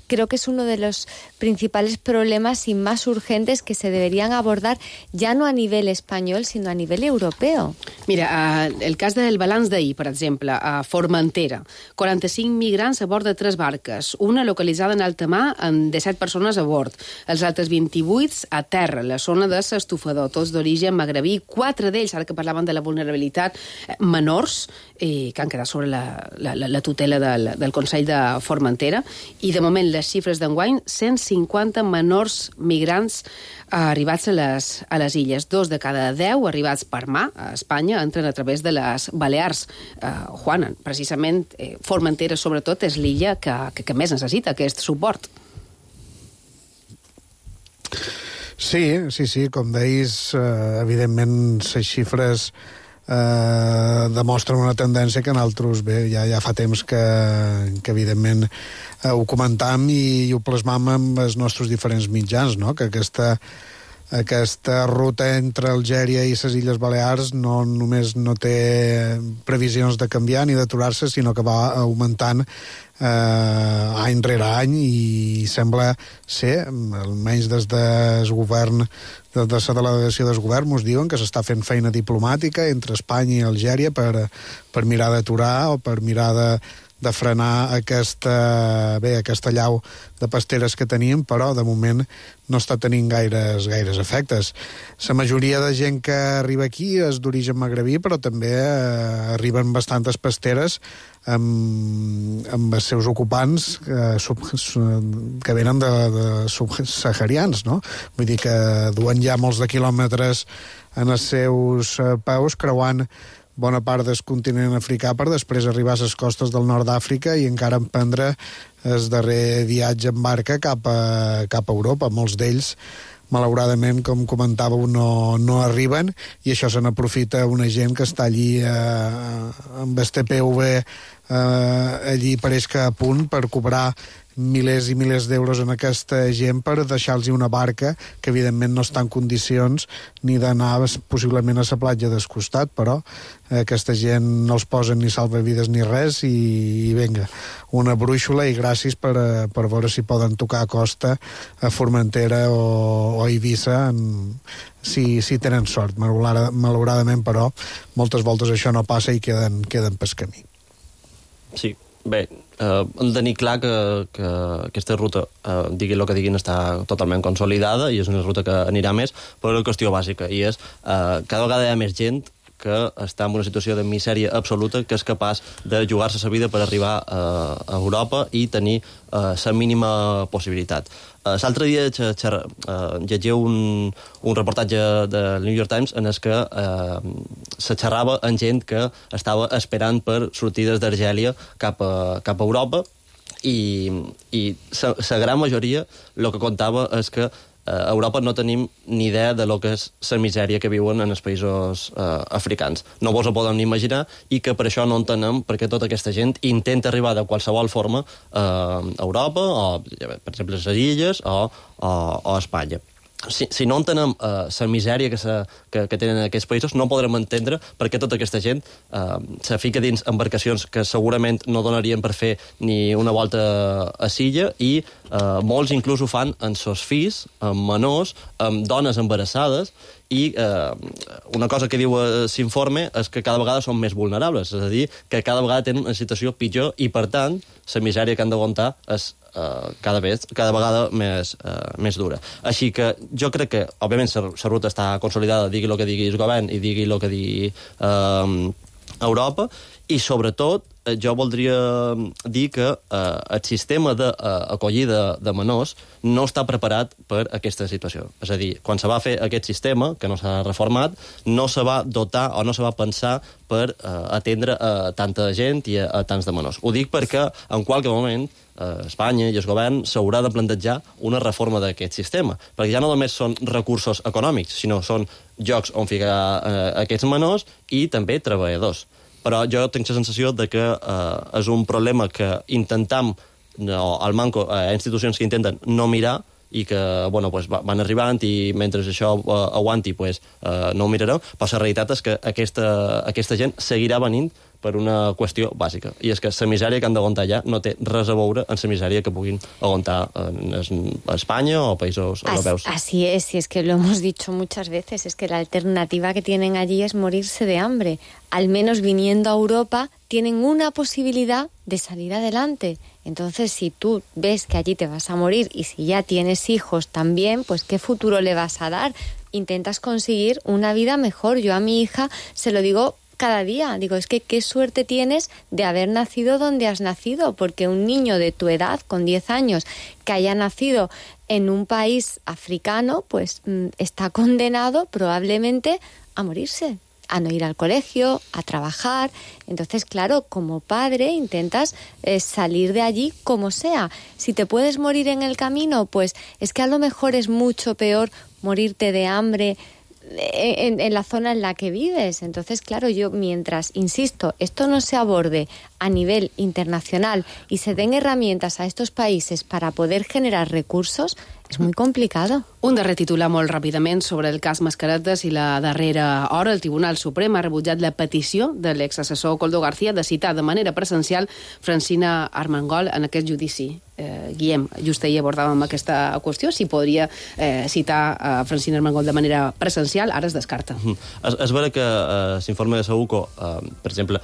creo que es uno de los principales problemas y más urgentes que se deberían abordar ya no a nivel español, sino a nivel europeo. Mira, el cas del balanç d'ahir, per exemple, a Formentera. 45 migrants a bord de 3 barques, una localitzada en alta mar amb 17 persones a bord. Els altres 28 a terra, la zona de s'estufador, tots d'origen magrebí. 4 d'ells, ara que parlaven de la vulnerabilitat, menors, que han quedat sobre la tutela del Consell de Formentera, i de moment les xifres d'enguany, 150 menors migrants arribats a les illes. 2 de cada 10 arribats per mar a Espanya entren a través de les Balears. Juana, precisament Formentera sobretot és l'illa que més necessita aquest suport. Sí, com deies, evidentment les xifres demostren una tendència que nosaltres ja fa temps que evidentment ho comentam i ho plasmam amb els nostres diferents mitjans, no? Que aquesta aquesta ruta entre Algèria i les Illes Balears no només no té previsions de canviar ni d'aturar-se, sinó que va augmentant any rere any, i sembla ser, almenys des del govern, des de la delegació del govern, ens diuen que s'està fent feina diplomàtica entre Espanya i Algèria per mirar d'aturar o per mirar de frenar aquesta llau de pasteres que teníem, però de moment no està tenint gaires efectes. La majoria de gent que arriba aquí és d'origen magrebí, però també arriben bastantes pasteres amb els seus ocupants que venen de subsaharians, no? Vull dir que duen ja molts de quilòmetres en els seus peus, creuant bona part del continent africà per després arribar a les costes del nord d'Àfrica i encara emprendre el darrer viatge en barca cap a Europa. Molts d'ells, malauradament, com comentàveu, no arriben, i això se n'aprofita una gent que està allí amb el TPV allí pareix que a punt per cobrar milers i milers d'euros en aquesta gent per deixar-los una barca que evidentment no està en condicions ni d'anar possiblement a la platja del costat, però aquesta gent no els posen ni salvavides ni res, i vinga, una brúixola i gràcies per veure si poden tocar a costa a Formentera o a Eivissa si tenen sort. Malauradament, però, moltes voltes això no passa i queden pel camí. Sí, bé, hem de tenir clar que aquesta ruta, digui el que diguin, està totalment consolidada i és una ruta que anirà més per una qüestió bàsica, i és cada vegada hi ha més gent que està en una situació de misèria absoluta, que és capaç de jugar-se la vida per arribar a Europa i tenir la mínima possibilitat. L'altre dia llegia un reportatge de New York Times en el que se xerrava amb gent que estava esperant per sortir des d'Argèlia cap a Europa, i la gran majoria el que contava és que a Europa no tenim ni idea de lo que és la misèria que viuen en els països africans. No vos ho podem ni imaginar, i que per això no entenem perquè tota aquesta gent intenta arribar de qualsevol forma a Europa, o, per exemple, a les Illes o a Espanya. Si no entenem la misèria que tenen aquests països, no podrem entendre per què tota aquesta gent se fica dins embarcacions que segurament no donarien per fer ni una volta a Silla, i molts inclús ho fan amb sos fills, amb menors, amb dones embarassades, i una cosa que diu l'informe és que cada vegada són més vulnerables, és a dir, que cada vegada tenen una situació pitjor, i per tant la misèria que han d'aguantar és cada vegada més dura. Així que jo crec que, òbviament, la ruta està consolidada, digui el que digui el govern i digui el que digui Europa, i sobretot jo voldria dir que el sistema d'acollida de menors no està preparat per aquesta situació. És a dir, quan se va fer aquest sistema, que no s'ha reformat, no se va dotar o no se va pensar per atendre a tanta gent i a tants de menors. Ho dic perquè en qualque moment Espanya i el govern s'haurà de plantejar una reforma d'aquest sistema, perquè ja no només són recursos econòmics, sinó són llocs on ficar aquests menors i també treballadors. Però jo tinc la sensació de que és un problema que intentem, al manco, institucions que intenten no mirar, i que van arribant, i mentre això aguanti no ho mirarem, però la realitat és que aquesta gent seguirà venint per una qüestió bàsica, i és que la misèria que han d'aguantar ja no té res a veure amb la misèria que puguin aguantar a España o països europeus. Así es, y es que lo hemos dicho muchas veces, es que la alternativa que tienen allí es morirse de hambre. Al menos viniendo a Europa tienen una posibilidad de salir adelante. Entonces, si tú ves que allí te vas a morir, y si ya tienes hijos también, pues ¿qué futuro le vas a dar? Intentas conseguir una vida mejor. Yo a mi hija se lo digo cada día, digo, es que qué suerte tienes de haber nacido donde has nacido, porque un niño de tu edad, con 10 años, que haya nacido en un país africano, pues está condenado probablemente a morirse, a no ir al colegio, a trabajar. Entonces, claro, como padre intentas salir de allí como sea. Si te puedes morir en el camino, pues es que a lo mejor es mucho peor morirte de hambre en la zona en la que vives. Entonces, claro, yo mientras, insisto, esto no se aborde a nivel internacional y se den herramientas a estos países para poder generar recursos, Es muy complicado. Un darrer titular molt ràpidament sobre el cas Mascaretes i la darrera hora. El Tribunal Suprem ha rebutjat la petició de l'exassessor Koldo García de citar de manera presencial Francina Armengol en aquest judici. Guillem, just ahir abordàvem aquesta qüestió, si podria citar Francina Armengol de manera presencial, ara es descarta. És vera que l'informe de Saúco, per exemple,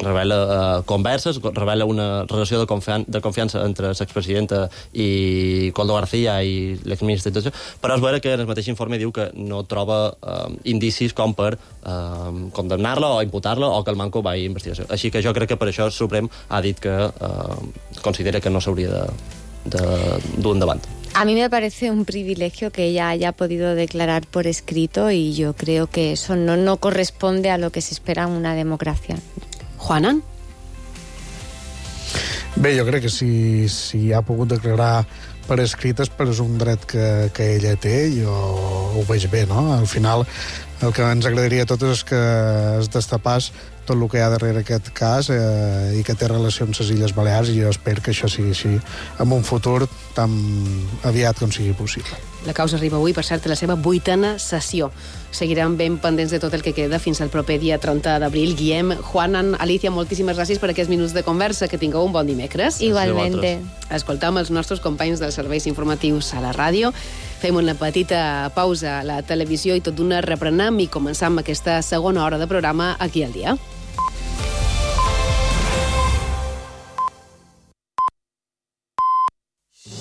revela converses, revela una relació de confiança entre l'expresidenta i Koldo García i l'exministre de però és vera que en el mateix informe diu que no troba indicis com per condemnar-la o imputar-la o que el manco va a investigació. Així que jo crec que per això el Suprem ha dit que considera que no s'hauria de dur endavant. A mí me parece un privilegio que ella haya podido declarar por escrito y yo creo que eso no corresponde a lo que se espera en una democracia. Juanan? Bé, jo crec que si ha pogut declarar per escrit és un dret que ella té, jo ho veig bé, no? Al final, el que ens agradaria a tots és que es destapàs tot el que hi ha darrere aquest cas i que té relació amb les Illes Balears, i jo espero que això sigui així en un futur tan aviat com sigui possible. La causa arriba avui, per cert, a la seva 8a sessió. Seguirem ben pendents de tot el que queda fins al proper dia 30 d'abril. Guillem, Juanan, Alicia, moltíssimes gràcies per aquests minuts de conversa. Que tingueu un bon dimecres. Igualmente. Escoltam els nostres companys dels serveis informatius a la ràdio. Fem una petita pausa a la televisió i tot d'una reprenem i començam aquesta segona hora de programa aquí al dia.